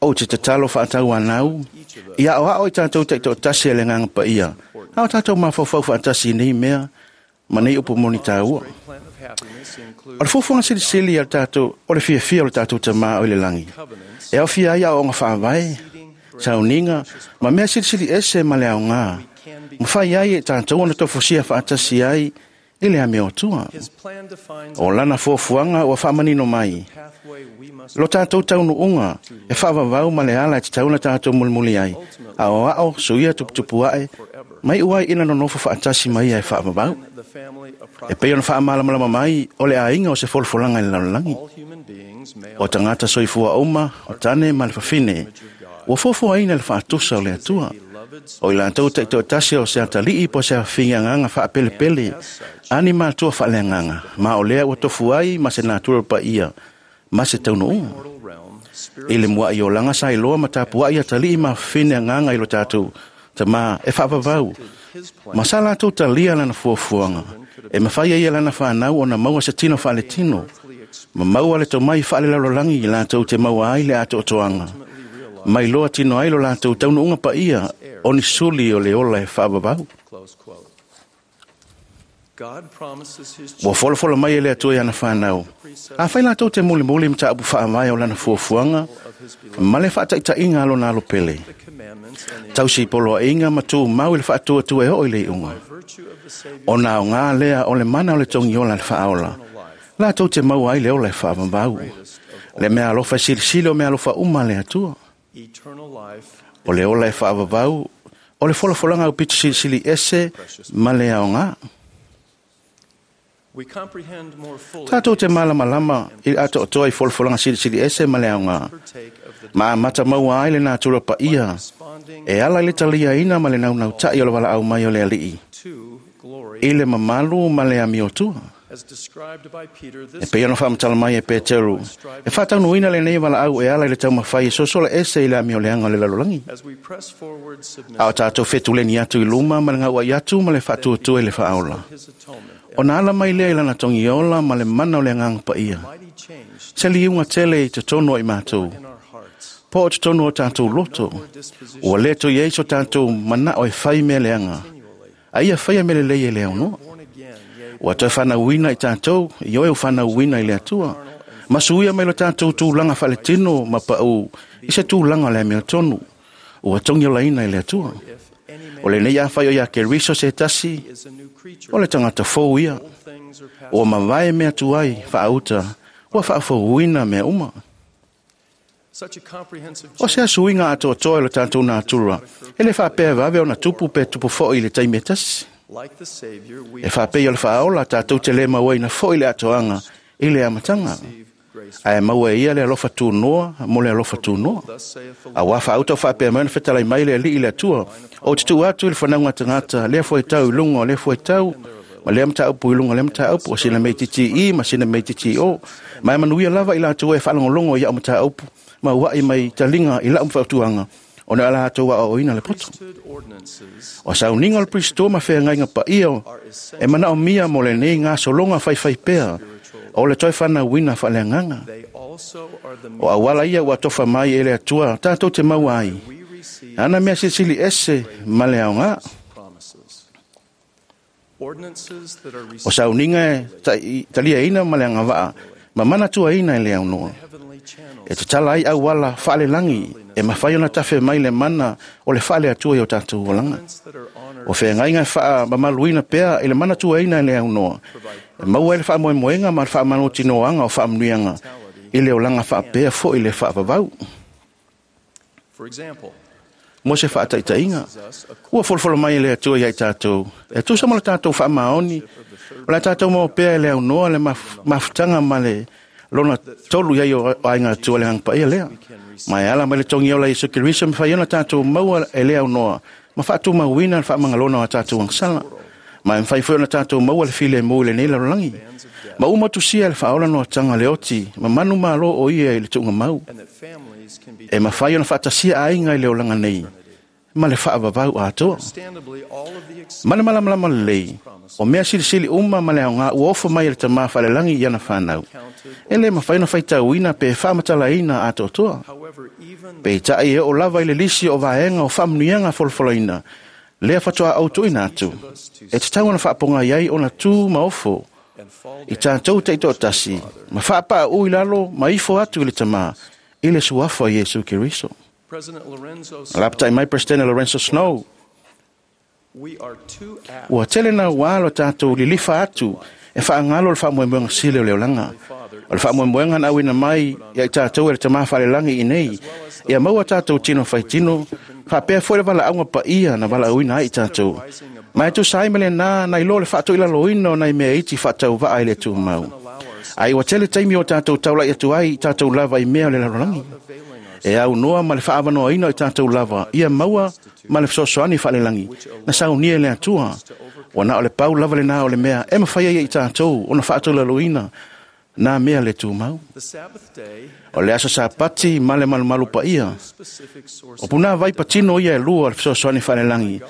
Ou te tatalo faatauanau ia aoao i tatou taitoatasi e le agaga paia, a o tatou mafaufau faatasi i nei mea ma nei upu moni tāua. O le fuafuaga silisili a le tatou, o le fiafia o le tatou Tamā o i le lagi, e aofia ai aoaoga faavae, sauniga, ma mea silisili ese ma le aogā, ma fai ai e tatou ona tofusia faatasi ai i le amio atua. O lana fuafuaga ua faamanino mai, lo tatou taunuuga e faavavau ma le ala e tatau ona tatou mulimuli ai, aoao suia tuputupuaʻe, mai iu ai ina nonofo faatasi ma ia e faavavau. E pei ona faamalamalama mai o le aiga o se folafolaga i le lalolagi. O tagata soifua uma, o tane ma le fafine, ua fuafuaina le faatusa o le Atua. O i latou taitoatasi o se atalii po o se afafine agaga faapelepele, ani matua faaleagaga, ma o lea ua tofu ai ma se natura paia, ma se taunuuga. I le muaʻi olaga sa iloa ma tapuaʻi atalii ma afafine agaga i lo tatou Tamā e faavavau, ma sa latou talia lana fuafuaga, e mafai ai e lana fanau ona maua se tino faaletino, ma maua le tomai faalelalolagi i latou te maua ai le atoatoaga. Mai loa tino ai lo latou taunuuga paia o ni suli o le ola e faavavau. Ua folafola mai e le Atua i ana fanau. Afai latou te mulimuli mataupu faavae o lana fuafuaga ma le faataitaiga a lona alopele. Tausi poloaiga ma tumau i le faatuatua e oo i le iuga. Ona aogā lea o le mana o le togiola le faaola, latou te maua ai le ola e faavavau. Le mea alofa e silisili o mea alofa uma a le Atua. O le ola e faavavau, o le folafolaga aupito silisili ese ma le aogā. Tatou te malamalama i le atoatoa i folafolaga silisili ese ma le aogā. Ma amata maua ai le natura paia, e ala i le taliaina ma le naunautaʻi o le valaau mai o le Alii, i le mamalu ma le amiotua. E pei ona faamatala mai e Peteru, e faataunuuina lenei valaau e ala i le taumafai e sosola ese i le amioleaga o le lalolagi. A o tatou fetuleni atu i luma ma le gauaʻi atu ma le faatuatua i le faaola. Ona ala mai lea i lana togiola ma le mana o le agaga paia. Se liuga tele i totonu o i matou, po o totonu o tatou loto, ua le toe i ai so tatou manao e fai mea leaga, a ia faia mea lelei e le aunoa. Ua toe fanauina i tatou, i oe ua fanauina i le Atua, ma suia mai lo tatou tulaga faaletino ma paʻu i se tulaga o le amiotonu, ua togiolaina i le Atua. O lenei afai o ia Keriso se tasi, o le tagata fou ia, ua mavae mea tuai faauta, ua faafouina mea uma. O se asuiga atoatoa i lo tatou natura, e le faapea vave ona tupu pe tupu foʻi i le taimi e tasi. E faapei o le faaola tatou te le mauaina foʻi le atoaga i le amataga. Ae maua e ia le alofa tunoa mo le alofa tunoa. Auā faauta o faapea mai ona fetalai mai le Alii i le Atua, ou te tuu atu i le fanauga tagata, lea fuaitau i luga o lea fuaitau, Ma lea mataupu i luga lea mataupu, o sina mea itiiti i ma sina mea itiiti o. Ma e manuia lava i latou e faalogologo i au mataupu, ma ua'i mai taliga i lau fautuaga, ona o latou aoaoina le poto. O sauniga o le Kristo ma feagaiga paia e manaomia mo lenei gasologa faifaipea o le toe fanauina faaleagaga. O auala ia ua atofa mai e le Atua tatou te maua ai ana mea silisili ese ma le aoga. O sauniga e taliaina ma le agavaa ma manatuaina e le aunoa. E tatala ai auala faalelagi e mafai ona tafe mai le mana o le faale-Atua i o tatou olaga. O feagaiga e faamamaluina pea i le manatuaina e le aunoa, e maua ai le faamoemoega ma le faamanutinoaga o faamanuiaga i le olaga faapea foi le faavavau. Mo se faataitaiga, ua folofolo mai e le Atua ia i tatou, e tusa ma le tatou faamaoni, o le tatou maua pea e le aunoa le mafutaga ma le lona tolu i ai o aiga Atua le Agaga Paia lea. Ma e ala mai le togi ola Iesu Keriso, mafai ona tatou maua e le aunoa ma faatumauina le faamangalona o a tatou agasala. Ma e mafai foi ona tatou maua le filemu i lenei lalolagi. Ma uma tusia le faaola noataga le oti, ma manu malo o ia i le tuugamau. E mafai ona faatasia aiga i le olaga nei, ma le faavavau atoa. Ma le malamalama lelei, o mea silisili uma ma le aoga ua ofo mai e le Tama Faalelagi i ana whanau. E le mafai ona faitauina pe faamatalaina atoatoa. Peitai e oo lava i le lisi o vaega o faamanuiaga folafolaina, lea faatoa autuina atu. E tatau ona faapogai ai ona tu ma ofo i tatou taitoatasi, ma faapaau i lalo ma ifo atu i le Tama, i le suafa o Iesu Keriso. Alapatai mai President Lorenzo Snow, ua tele na ua lo tatou lilifa atu e faagalo le faamoemoega sili o le olaga. O le faamoemoega na auina mai ia i tatou e le Tama Faalelagi i nei, ia maua tatou tino faitino, faapea foi le valaauga paia na valaauina ai i tatou. Ma e tusa ai ma lena nai lo le faatoilaloina o nai mea iti faatauvaa i le tumau. Ai ua tele taimi o tatou taulai atu ai i tatou lava i mea o le lalolagi. E aunoa ma le faavanoaina o i tatou lava, ia maua ma le fesoasoani faalelagi, na saunia e le Atua. Ua na o le pau lava lena o le mea e mafai ai i tatou ona faatolaloina nā mea le tumau. O le aso Sapati ma le malumalu paia. O puna vai patino ia e lua le fesoasoani faalelagi,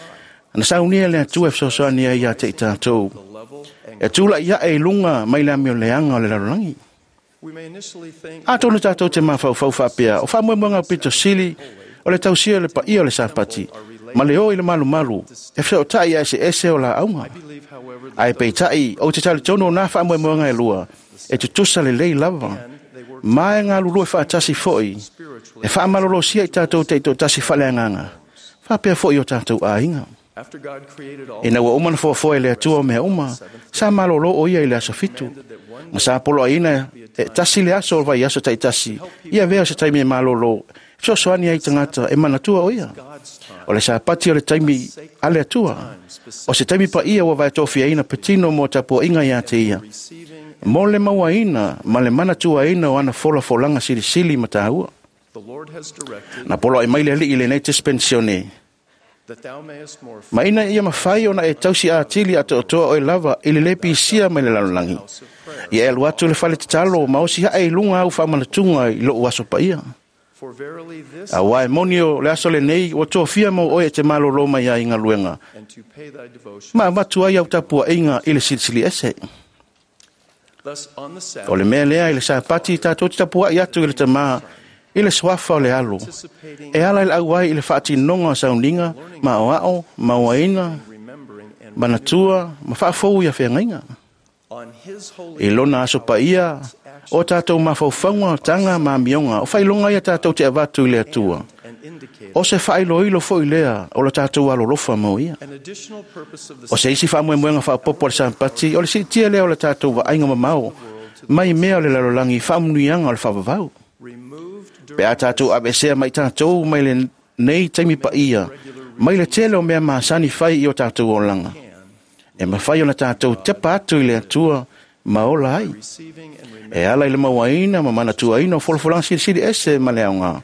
na saunia e le Atua e fesoasoani ai ia te i tatou. E tula ia e lunga mai le amioleaga o le lalolagi. Atonu tatou te mafaufau faapea, o faamoemoega pito sili, o le tausia le paia o le Sapati, ma le o i le malumalu, e fesoatai a eseese o laauga. Ae peitai, o te talitonu o nā faamoemoega e lua, e tutusa lelei lava, ma e galulue faatasi foi, e faamalolosia i tatou taitoatasi faaleagaga, faapea foi o tatou aiga. Ina ua uma na fuafua e le Atua o mea uma, sa malolo o ia i le aso 7. Ma sa poloaiina e tasi le aso o vai aso taitasi, ia vea o se taimi e malolo, fesoasoani ai tagata e manatua o ia. O le Sapati o le taimi a le Atua, o se taimi paia ua vaetofiaina patino mo tapuaiga ia te ia, mo le mauaina ma le manatuaina o ana folafolaga silisili ma taua. Na poloai mai le alii i lenei dispensione, ma ina ia mafai ona e tausi atili atoatoa oe lava i le le pisia mai le lalolagi. Ia e alu atu le fale tatalo ma osi hae i luga au faamanatuga i lou aso paia. Auā e moni o le aso lenei ua tofia mau oe e te malolo mai ai i galuega, ma avatu ai au tapuaiga i le silisili ese. O le mea lea i le Sapati tatou te tapuai atu i le Tama i le suafa o le alo, e ala i le auai i le faatinoga o sauniga, ma oao, mauaina, manatua, ma faafou ia feagaiga. I lona aso paia, o tatou mafaufauga, taga ma amioga, o faailoga ia tatou te avatu i le Atua. O se faailoilo foi lea o le tatou alolofa mo ia. O se isi faamoemoega faaopoopo o le Sapati, o le siitia lea o le tatou vaaiga mamao, mai mea o le lalolagi i faamanuiaga o le faavavau. Pe a tatou aveesea mai tatou mai lenei taimi paia, mai le tele o mea masani fai i o tatou olaga, e mafai ona tatou tepa atu i le Atua ma ola ai. E ala i le mauaina ma manatuaina o folafolaga silisili ese ma le aoga,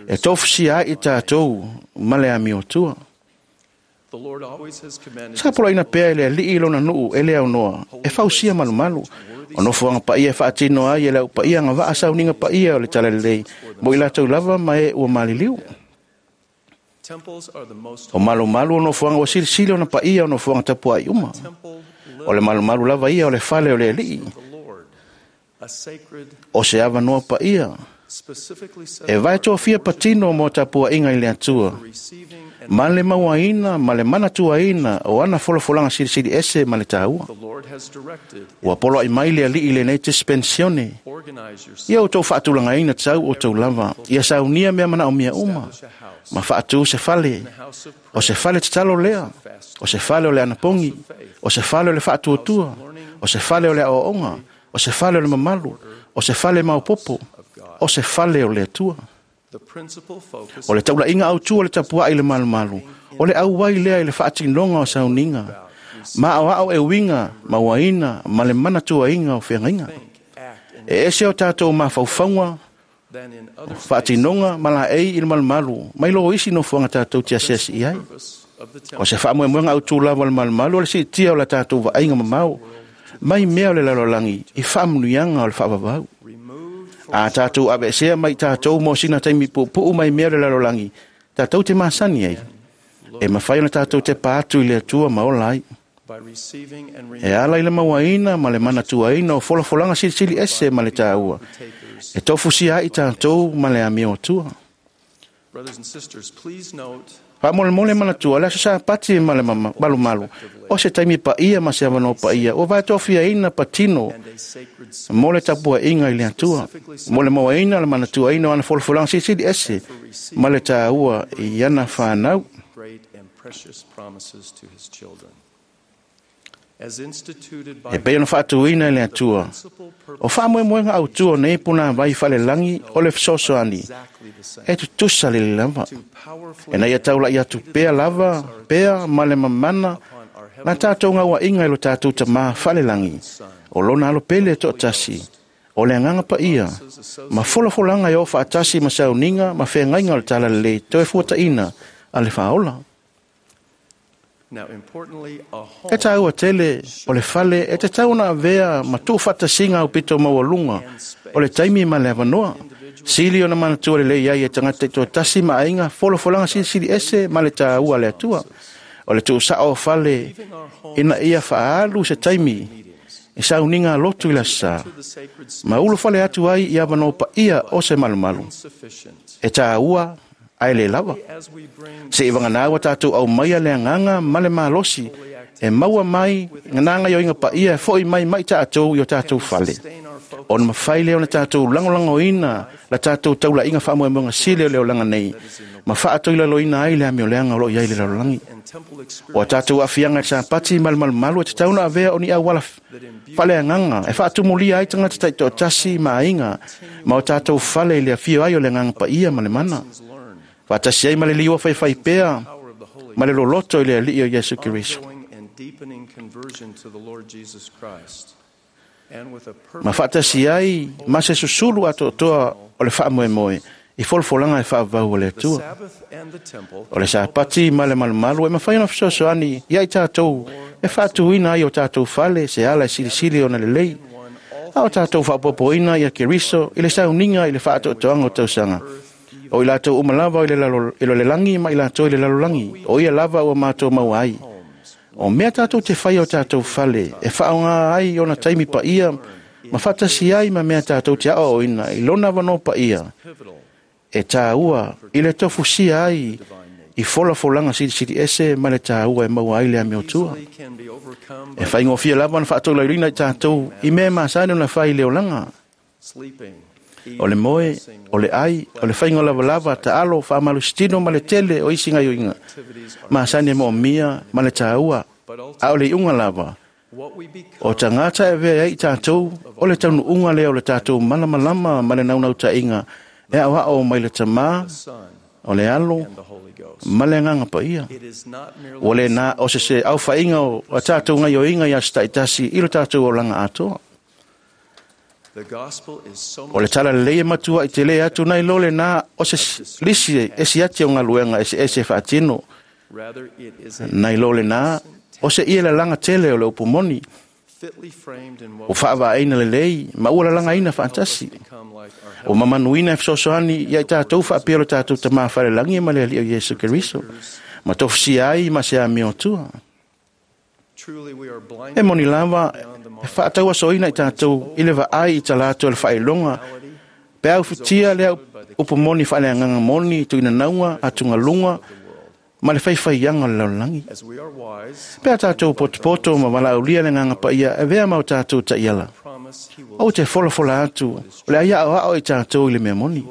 e tofusia ai i tatou ma le amiotua. Sa poloaiina pea e le Alii lona nuu e le aunoa e fausia malumalu. O nofoaga paia e faatino ai e le aupaia agavaa sauniga paia o le Talalelei mo i latou lava ma e ua maliliu. O malumalu o nofoaga ua silisili ona paia o nofoaga tapuai uma. O le malumalu lava ia o le fale o le Alii. O se avanoa paia e vae tofia patino mo tapuaiga i le Atua, ma le mauaina ma le manatuaina o ana folafolaga silisili ese ma le taua. Ua poloai mai le Alii i lenei dispensione. Ia outou faatulagaina tau outou lava, ia saunia mea manaomia uma, ma faatu se fale, o se fale tatalo lea, o se fale o le anapogi, o se fale o le faatuatua, o se fale o le aoaoga, o se fale o le mamalu, o se fale maopopo, o se fale o le Atua. O le taulaiga autu o le tapuai i le malumalu, o le auai lea i le faatinoga o sauniga, ma aoao e uiga, mauaina ma le manatuaina o feagaiga. E ese o tatou mafaufauga, faatinoga ma laei i le malumalu, mai lo isi nofoaga tatou te asiasi i ai. O se faamoemoega autu lava o le malumalu o le siitia o la tatou vaaiga mamao, mai mea o le lalolagi i faamanuiaga o le faavavau. A tatou aveesea mai tatou mo sina taimi puupuu mai mea o le lalolagi, tatou te masani ai, e mafai ona tatou tepa atu i le Atua ma ola ai. E ala i le mauaina ma le manatuaina o folafolaga silisili ese ma le taua, e tofusia ai tatou ma le amio Atua. Faamolemole manatua le aso Sapati ma le malumalu, o se taimi paia ma se avanoa paia, ua vaetofiaina patino mo le tapuaiga i le Atua, mo le mauaina le manatuaina o ana folafolaga silisili ese ma le taua i ana whanau. E pei ona faatuina i le Atua, o faamoemoega autu o nei puna vai falelagi o le fesoasoani, e tutusa lelei lava. E na ia taulai atu pea lava, pea ma le mamana, la tatou gauaiga i lo tatou tamā falelagi, o lona alo pele e toatasi, o le agaga paia, ma folafolaga e oo faatasi ma sauniga ma feagaiga o le Talalelei toe fuataina a le faaola. E tāua tele o le fale e te tau ona avea ma tuufaatasiga aupito maualuga o le taimi ma le avanoa. Sili ona manatua lelei ai e tagata taitoatasi ma aiga folafolaga silisili ese ma le taua a le Atua. O le tuusao o fale ina ia faaalu se taimi e sauniga lotu i le aso sa, ma ulufale atu ai i avanoa paia o se malumalu. E tāua ae le lava. Se i vagana ua tatou aumaia le agaga ma le malosi e maua mai nā gaoioiga paia e fo'i mai mai tatou i o tatou fale. Ona mafai lea ona tatou lagolagoina la tatou taulaiga faamoemoega sili o le olaga nei, ma faatoilaloina ai le amioleaga o loo i ai le lalolagi. O a tatou aafiaga i le Sapati ma le malumalu e tatau ona avea o ni auala faaleagaga e faatumulia ai tagata taitoatasi ma aiga ma o tatou fale i le afio ai o le agaga paia ma le mana. Faatasi ai ma le liua faifai pea ma le loloto i le Alii o Iesu Keriso. Ma faatasi ai ma se susulu atoatoa o le faamoemoe i folafolaga e faavavau a le Atua. O le Sapati ma le malumalu e mafai ona fesoasoani ia i tatou e faatuina ai o tatou fale se ala e silisili ona lelei, a o tatou faapopoina ia Keriso i le sauniga i le faatoatoaga o tausaga. O i latou uma lava i le lagi ma i latou i le lalolagi, o ia lava ua matou maua ai. O mea tatou te faia o tatou fale e faaaoga ai ona taimi paia ma faatasi ai ma mea tatou te aoaoina i lona avanoa paia e tāua i le tofusia ai i folafolaga silisili ese ma le tāua e maua ai le amiotua. E faigofie lava ona faatolaulauina i tatou i mea e masani ona fai i le olaga. O le moe, o le ai, o le faiga lavalava, taalo, faamalositino ma le tele o isi gaoioiga masani e moomia ma le tāua, a o le iuga lava o tagata e avea ai i tatou o le taunuuga lea o le tatou malamalama ma le naunautaiga e aoao mai le Tamā, o le Alo ma le Agaga Paia. Ua le na o se se aufaiga o a tatou gaoioiga i aso taitasi i lo tatou olaga atoa. O le Talalelei e matua i te le atu nai lo le na o se lisi e siati o galuega eseese e faatino. Nai lo le nā, o se ia lalaga tele o le upu moni, o faavaeina lelei, ma ua lalagaina faatasi. O mamanuina e fesoasoani ia i tatou faapea o le tatou Tamā Falelagi ma le Alii o Iesu Keriso, ma tofusia ai ma se amiotua. E moni lava, e faatauasoina i tatou i le vaai i talaatu o le faailoga, pe aufitia lea upu moni faaleagaga moni, tuinanauga, atugaluga, ma le faifaiaga o le lalolagi. Pe a tatou potopoto ma valaaulia le agaga paia e avea ma o tatou taiala. Ou te folafola atu, o le a aoao i tatou i le mea moni.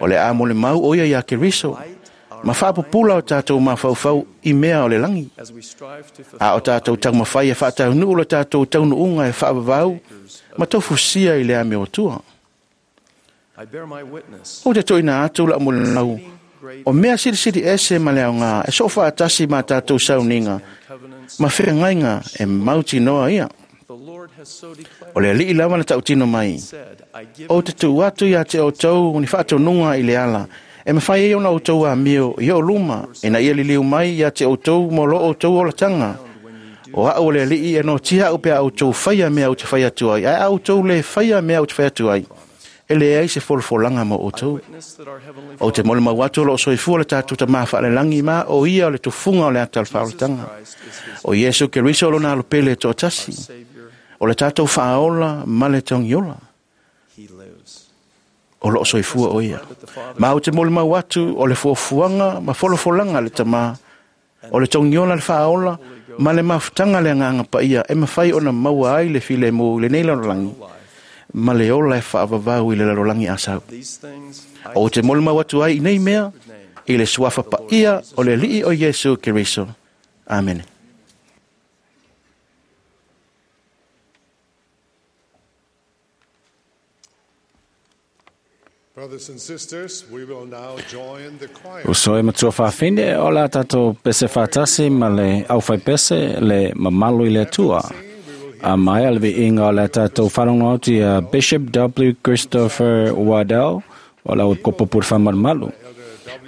O le a molimau o ia ia Keriso, ma faapupula o tatou mafaufau i mea o le lagi. A o tatou taumafai e faataunuu le tatou taunuuga e faavavau ma taufusia i le amiotua. Ou te toina atu lau molimau, o mea silisili ese ma le aoga e soo faatasi ma tatou sauniga ma feagaiga e mautinoa ia. O le alii lava na tautino mai, ou te tuu atu ia te outou ni faatonuga i le ala, e mafai ai ona outou amio i o luma, ina ia liliu mai ia te outou mo lo outou olataga. O au o le alii e notia au pe a outou faia mea ou te fai atu ai, ae a outou le faia mea ou te fai atu ai, e leai se folafolaga mo outou. Ou te molimau atu o loo soifua le tatou Tamā Faalelagi ma o ia o le tufuga o le ata o le faaolataga. O Iesu Keriso o lona alopele e toatasi, o le tatou faaola ma le togiola. O loo soifua o ia. Ma ou te molimau atu o le fuafuaga ma folafolaga a le Tamā, o le togiola le faaola ma le mafutaga le agaga paia e mafai ona maua ai le filemu i lenei lalolagi, ma le ola e faavavau i le lalolagi asau. Ou te molimau atu ai i nei mea, i le suafa paia o le Alii o Iesu Keriso. Amene. Brothers and sisters, we will now join the choir. Uso e matua whawhine o la tātou pese whātasi ma le au whai pese le mamalu i le atua. A mai a le viinga o le tātou wharongo atu ia Bishop W. Christopher Waddell o la kopo pur whamarmalu.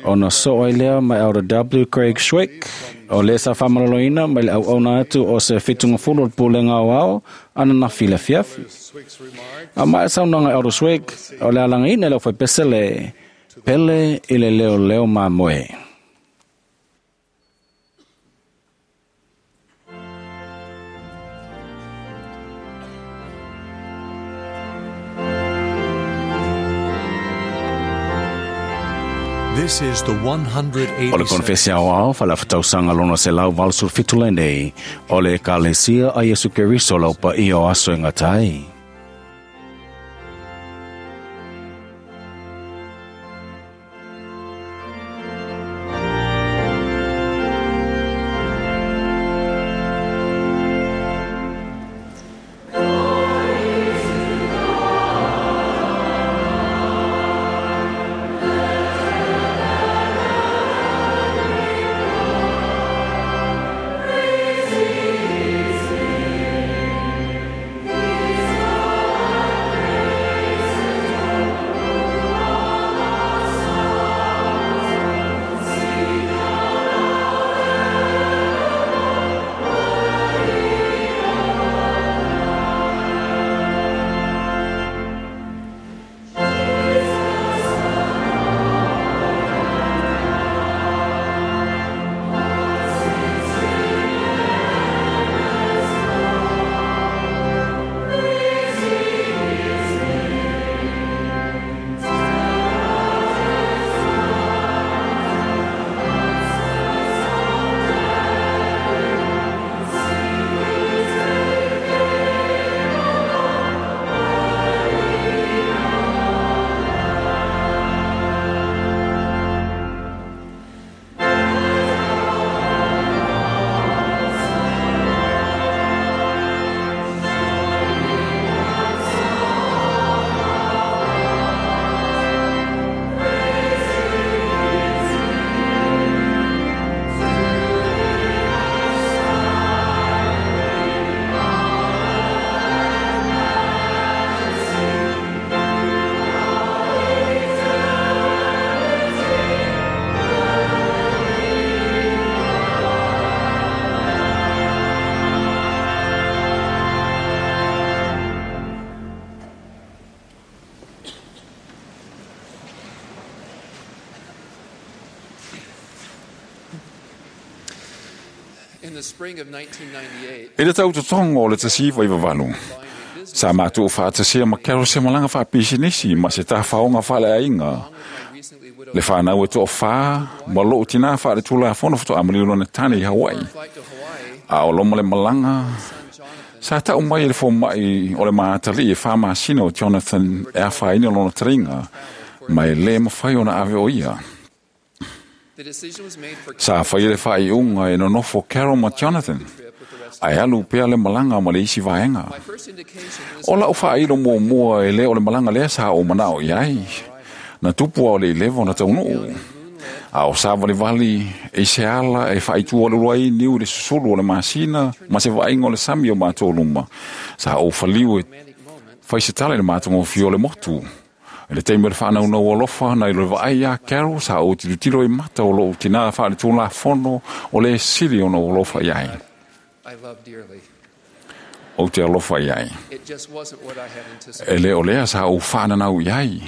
Ona so ai lea mai Elder W. Craig Schwick o le sa whamaroloina mai le au auna atu o se whitunga fulu o le pulenga o ao ana na fila fiafi. A mai saunanga Elder Schwick o le alanga ina le au whaipese le pele i le leo leo mā moe. This is the O le 187th konfesi ao ao, whalawhatausanga lona se lau valsul fitule nei, o le ekalesia a Iesu Keriso lau pa i o aso e ngatai. Praise I le tautotogo o le 1998, sa matou faatasia ma Carol se malaga faapisinisi ma se tafaoga faaleaiga le fanau e toafā ma lou tinā faaletulafono faatoa maliu lona tane i Hawaii. A o loma le malaga, sa tau mai e le fomaʻi o le maataliʻi e 4 masina o Jonathan e afaina lona taliga ma e lē mafai ona ave o ia. Sa faia le faaiuga e nonofo Carol ma Jonathan ae alu pea le malaga ma le isi vaega. O lau faailo muamua e lē o le malaga lea sa ou manao i ai. Na tupu a o le ileva ona taunuu. A o savalivali i se ala e faaitua ai niu i le susulu o le masina ma se vaaiga o le sami o matou luma. Sa ou faliu e fai se tala i le matagofie o le motu. I le taimi o le faanaunau alofa na i le vaai iā Carol, sa ou tilotilo i mata o lou tinā faaletulafono o le sili ona ou alofa i ai. Ou te alofa i ai. E lē o lea sa ou faananau i ai.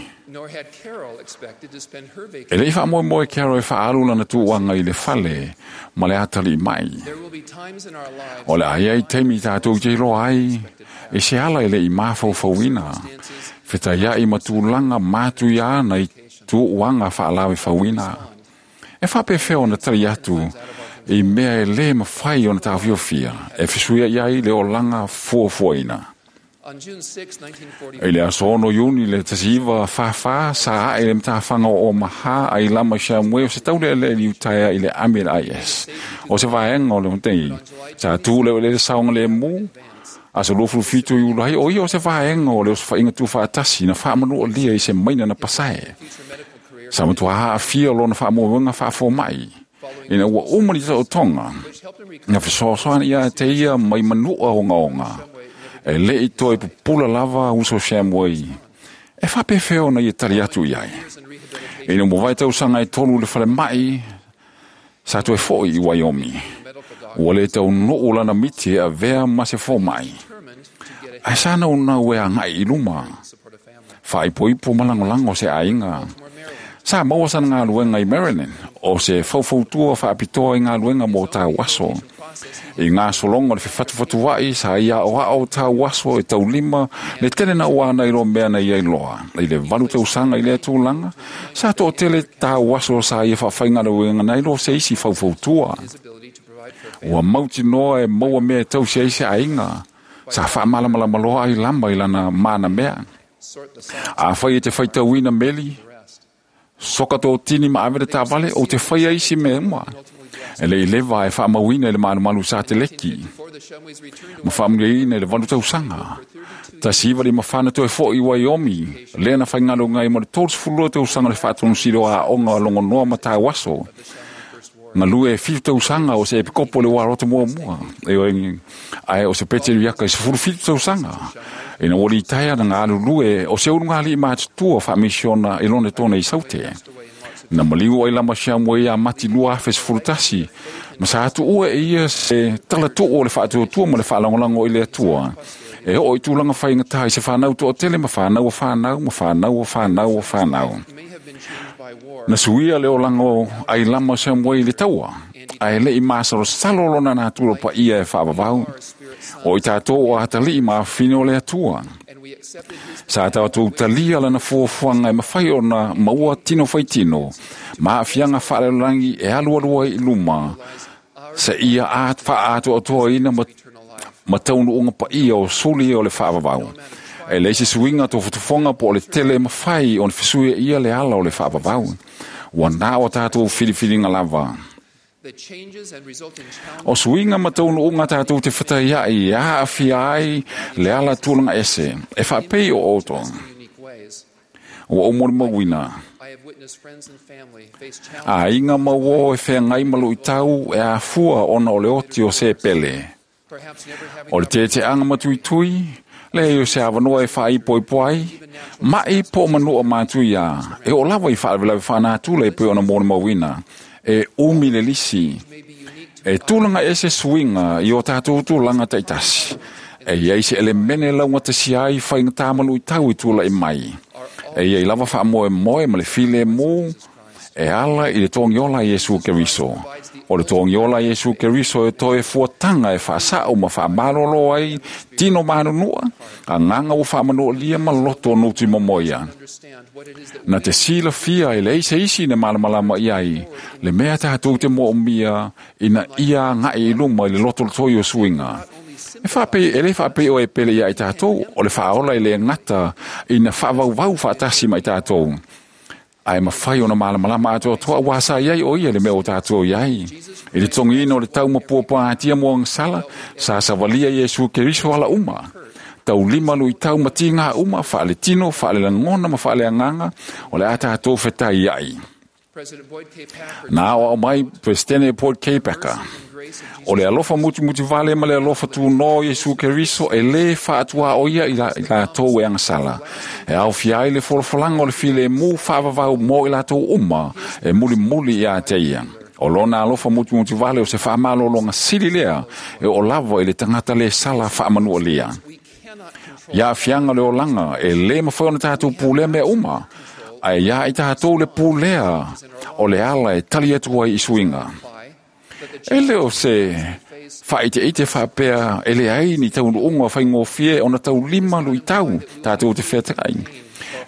E lei faamoemoe Carol e faaalu lana tuuaga i le fale ma le atalii mai. O le a i ai taimi tatou te iloa ai e se ala e leʻi mafaufauina. Fetaiaʻi ma tulaga matuia na i tuuaga faalavefauina. E faapefea ona tali atu i mea e lē mafai ona taofiofia e fesuiaʻi ai le olaga fuafuaina. I le aso 6 Iuni le 1944 sa ae le matafaga o Omaha ai lama i Shumway o se taulealea i Utaea i le ami le IS. O se vaega o le matei sa tu le le saoga lemu aso 27 Iulai o ia o se vaega o le osofaiga tuufaatasi na faamanualia i se maina na pasae. Sa matua aafia lona faamoemoega faafomaʻi. Ina ua uma li taotoga na fesoasoani ia te ia mai manua ogaoga. E leʻi toe pupula lava uso Shumway. E faapefea ona ia tali atu i ai. Ina ua vae tausaga e 3 le falemaʻi, sa toe foʻi i Wyoming. Ua lē taunuu lana miti e avea ma se fomaʻi. Ae sa naunau e agaʻi i luma. Faaipoipo ma lagolago se aiga. Sa maua sana galuega i Maryland, o se faufautua faapitoa i galuega mo tauaso. I gasologa o le fefatufatuaʻi sa ia aʻoaʻo tauaso e taulima le tele na uana i lo mea na ia iloa. I le 8 tausaga i lea tulaga, sa toʻatele tauaso sa ia faafaigaluega na ilo se isi faufautua. Ua mautinoa e maua mea e tausi ai se aiga. Sa faamalamalama loa ai lama i lana mana mea. Afai e te faitauina meli, soka tō tini ma ave le tavale o te whai ai si mea uma. E le i leva e whaamauina i le malumalu sa te leki. Ma whaamuliaina i le 8 tausaga. 1954 toe foʻi i Wyoming, lea na faigalo ngai mo le 32 tausaga le faatonusili o aoga logonoa ma tauaso. Galue e 7 tausaga o se epikopo le uaroto muamua. E ae o se peteriaka i 17 tausaga. Ina ua litaea na galulue o se ulugalii matutua faamisiona i lona tona i Saute. Na maliu ai lama Shumway ia Mati 2011, ma sa atuua e ia se talatuu o le faatuatua ma le faalagolago i le Atua. E oo i tulaga faigatā i se fanau toatele ma fanau o fanau ma fanau o fanau o fanau. Na suia le olaga ai lama Shumway i le taua, ae leʻi masalosalo lona natura paia e faavavau. O i tatou o atalii ma afafine o le Atua. Sa tatou talia lana fuafuaga e mafai ona maua tino faitino, ma aafiaga faalelalagi e alualu ai i luma, sa ia faaatoatoaina ma taunuuga paia o suli o le faavavau. E leai se suiga tofotofoga po o le tele e mafai ona fesuia ia le ala o le faavavau. Ua na o tatou filifiliga lava. O suiga ma taunuuga tatou te fataiaʻi e aafia ai le ala tulaga ese, e faapei o outou. Ua ou molimauina. Aiga ma uō e feagai ma luʻitau e afua ona o le oti o se pele. O le teteaga matuitui, leai o se avanoa e faaipoipo ai, maʻi po o manua matuia, e oo lava i faalavelave faanatula e pei ona molimauina, e umi le lisi. E tulaga ese suiga i o tatou tulaga taitasi. E iai se elemene laugatasi ai faigatā ma luʻitau i tulaʻi mai. E iai lava faamoemoe ma le filemu E ala i le togiola Iesu Keriso. O le togiola Iesu Keriso e toe fuataga e faasa'o ma faamalōlō ai tino manunua, agaga ua faamanualia ma loto o nutimomoia. Na te silafia e leai se isi na malamalama i ai, le mea tatou te moomia ina ia aga'i i luma i le lotolotoi o suiga. E faapei e lē faapei o e pele iā i tatou, o le faaola e lē gata ina faavauvau faatasi ma i tatou. Ae mafai ona malamalama atoatoa ua sa iai o ia le mea o tatou iai. I le togiina o le tau ma puapuagatia mo agasala, sa savalia Iesu Keriso ala uma. Taulima luitau ma tigā uma, faaletino, faalelagona ma faaleagaga, o le a tatou fetaiai. Na aoao mai Peresetene Boyd K. Packer. O le alofa mutimutivale ma le alofa tūnō o Iesu Keriso e lē faatuaoia i latou e agasala. E aofia ai le folafolaga o le filemu faavavau mo i latou uma e mulimuli iā te ia. O lona alofa mutimutivale o se faamalōloga sili lea e oo lava i le tagata lē sala faamanualia. Ia aafiaga o le olaga e lē mafai ona tatou pulea mea uma, ae iā i tatou le pulea o le ala e tali atu ai i suiga. E le o se faaiteite faapea e leai ni taunuuga faigofie ona taulima luitau tatou te featagai.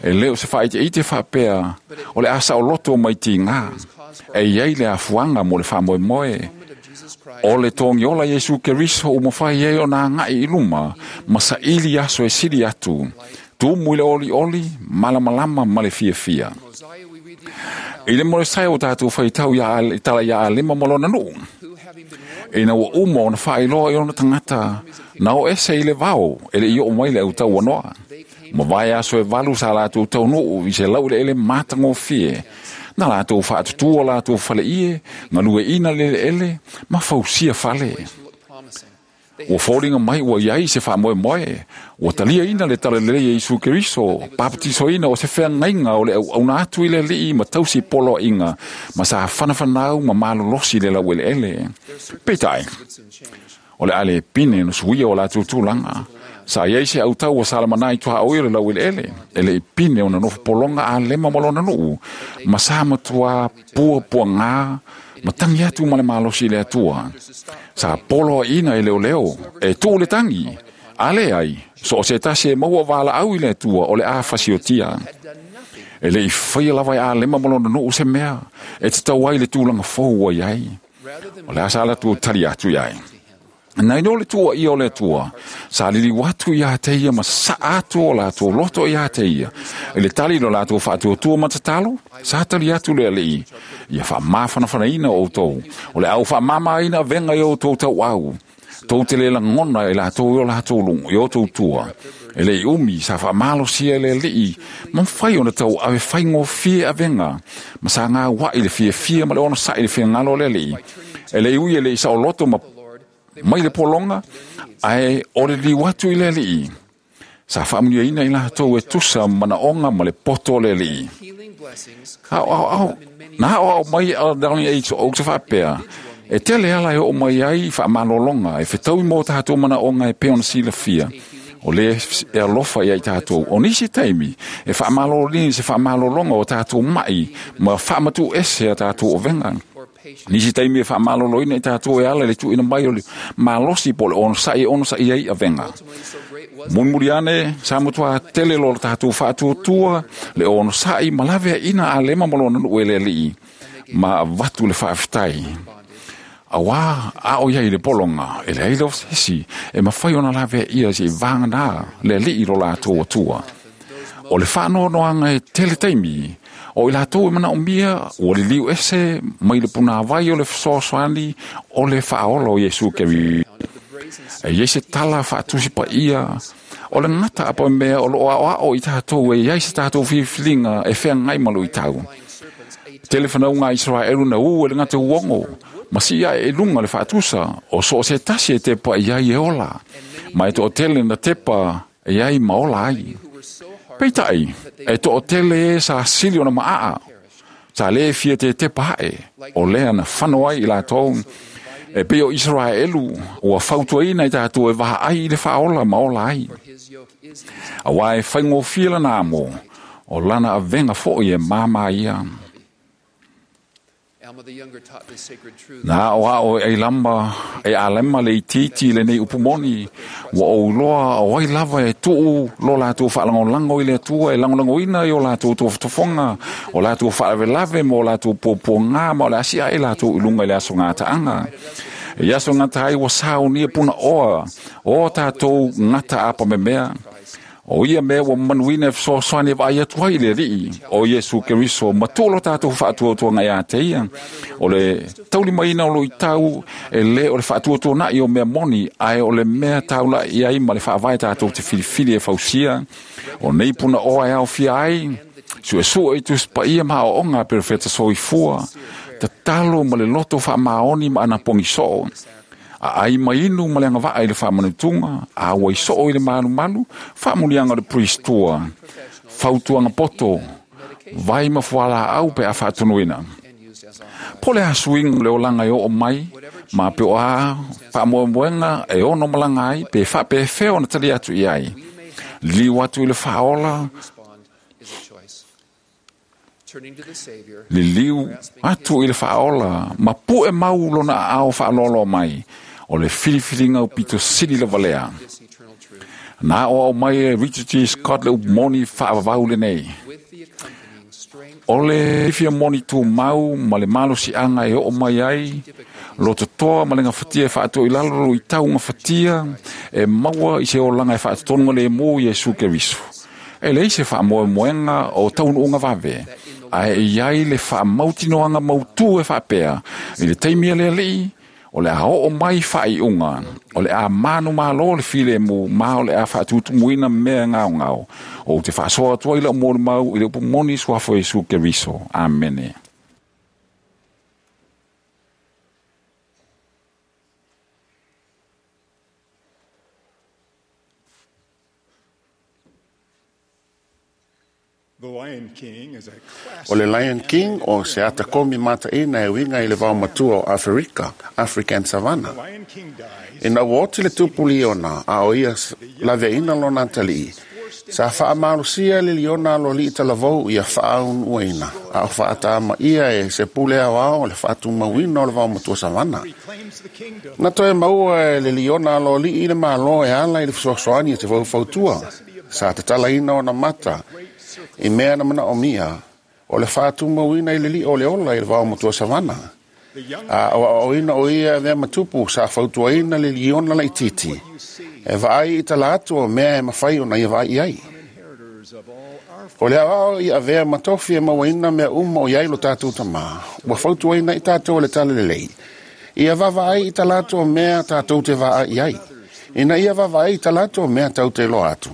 E le o se faaiteite faapea o le a saoloto mai tigā. E iai le afuaga mo le faamoemoe. O le togiola Iesu Keriso ua mafai ai ona aga'i i luma ma saili aso e sili atu, tumu i le olioli, malamalama ma le fiafia. I le Molesaia ua tatou faitau ia tala ia Alema ma lona nuu. Ina ua uma ona faailoa i ona tagata, na o ese i le vao e le i oo mai le autauanoa. Ma vae aso e 8 sa latou taunuu i se laueleele matagofie. Na latou faatutua latou faleie, galueina le eleele ma fausia fale. Ua foliga mai ua iai se faamoemoe, ua taliaina le talalelei e Iesu Keriso, papatisoina o se feagaiga o le auauna atu i le Alii ma tausi poloaiga, ma sa fanafanau ma malolosi le laueleele. Peitai, o le a le pine na suia o latou tulaga. Sa iai se autau ua salamana i tuaoi o le laueleele, e le i pine ona nofo pologa Alema ma lona nuu, ma sa matuā puapuagā, ma tangi atu ma le malosi i le Atua. Sa poloaiina e leoleo, e tuu le tangi, a leai, so o se tasi e maua valaau i le Atua o le a fasiotia. E le i faia lava e Alema ma lona nuu se mea, e tatau ai le tulaga fou ua iai. O le a sa latou tali atu iai. Na ino le tua ia o le Atua, sa liliu atu iā te ia ma sa'a atu o latou loto iā te ia. I le tali lo latou faatuatua ma tatalo, sa tali atu le Alii, ia faamafanafanaina outou, o le au faamamaina avega i outou tauau. Tou te le lagona e latou i o latou luga, i outou tua. E le i umi, sa faamalosia e le Alii, ma mafai ona tauave faigofie avega, ma sa gaua'i le fiafia ma le onosa'i i le finagalo o le Alii. E le i ui e le i saoloto ma mai le pologa, ae o le liliu atu i le Alii. Sa faamanuiaina i latou e tusa manaoga ma le poto o le Alii. Na aoao mai a Donald H. Oakes faapea, e tele ala e oo mai ai faamalōloga e fetaui mo tatou manaoga e pei ona silafia. O le e alofa ia i tatou. O nisi taimi, e faamalōlini se faamalōloga o tatou mai ma faamatu ese a tatou ovega. Nisi taimi e faamalōlōina i tatou e ala i le tuuina mai o le malosi po o le onosai e onosai ai avega. Mulimuli ane, sa matuā tele lo tatou faatuatua, le onosai ma laveaina Alema ma lona nuu e le Alii, ma avatu le faafetai. Auā a o iai i le pologa, e leai lava se isi e mafai ona laveaia se'i vaganā le Alii lo latou Atua. O le faanoanoaga e tele taimi, o i latou e manaomia ua liliu ese mai le punāvai o le fesoasoani o le faaola o Iesu Keriso. E iai se tala faatusi paia, o le gata apamea o loo aoao i tatou e iai se tatou filifiliga e feagai ma luitau. Tele fanauga a Iseraelu na ū e le gata uogo, ma sii ae i luga le faatusa, o so o se tasi e tepa i ai e ola, ma e toatele na tepa e ai ma ola ai. Peitai, e toatele e sa sili ona maaa, sa lē fia tetepa ae, o lea na fano ai i latou. E pei o Iseraelu, ua fautuaina i tatou e vaai i le faaola ma ola ai. Auā e faigofie lana amo, o lana avega foi e māmā ia. Na o ao e lamba e alema le itiiti lenei upu moni, ua ou iloa o ai lava e tuu lo latou faalagolago i le Atua e lagolagoina i o latou tofotofoga, o latou faalavelave ma o latou puapuagā ma o le asi ae latou i luga i le aso gataaga. E aso gata ai ua saunia punaoa o tatou gata apamemea. O ia mea ua manuina e fesoasoani e vaai atu ai i le Alii o Iesu Keriso ma tuu lo tatou faatuatuaga ia te ia. O le taulimaina o luitau e lē o le faatuatuana'i o mea moni, ae o le mea taula'i ai ma le faavae tatou te filifili e fausia. O nei punaoa e aofia ai suesue i Tusi Paia ma aoaoga a perofeta soifua, tatalo ma le loto faamaoni ma anapogi soo, aai ma inu ma le agavaa i le faamanutuga, a ua isoo i le malumalu, faamuliaga o le priestua, fautuaga poto, vai ma fualaau pe a faatunuina. Po le a suiga o le olaga e oo mai, ma pe o a faamoemoega e ono malaga ai, pe faapefea ona tali atu i ai. Liliu atu i le faaola, liliu atu i le faaola, ma pu'e mau lona aao faaloaloa mai, o le filifiliga upito sili lava lea. Na aoao mai e Richard G. Scott le upu moni faavavau lenei. O le fia moni tumau ma le malosiaga e oo mai ai, lototoa ma le gafatia e faatoʻi lalo luitau gafatia e maua i se olaga e faatotonuga lemu Iesu Keriso. E leai se faamoemoega o taunuuga vave, ae e iai le faamautinoaga mautū e faapea, i le taimi a le Alii, o le a oo mai faaiuga, o le a manumalo le filemu, ma o le a faatutumuina mea gaogao. Ou te faasoa atu ai lau molimau i le upu moni suafa o Iesu Keriso. Amene. O le Lion King o se ata komi mataina e uiga i le vaomatua o Aferika, African Savannah. Ina ua oti le tupu liona, a o ia laveaina lona atalii, sa faamalosia le liona aloalii talavou ia faaunuaina, a o faatamaia e se pule aoao o le faatumauina o le vaomatua savana. Na toe maua e le liona aloalii le malo e ala i le fesoasoani e te faufautua, sa tatalaina ona mata i mea na manaomia o le faatumauina i le lio o le ola i le vaomatua savana. A o aoaoina o ia mea matupu sa fautuaina le liona laititi e vaai i tala atu o mea e mafai ona ia vaai i ai. O le aoao i avea matofi e mauaina mea uma o iai lo tatou tamā, ua fautuaina i tatou le tala lelei. Ia vaavaai i tala atu o mea tatou te vaai i ai. Ina ia vaavaai i tala atu o mea tau te iloa atu.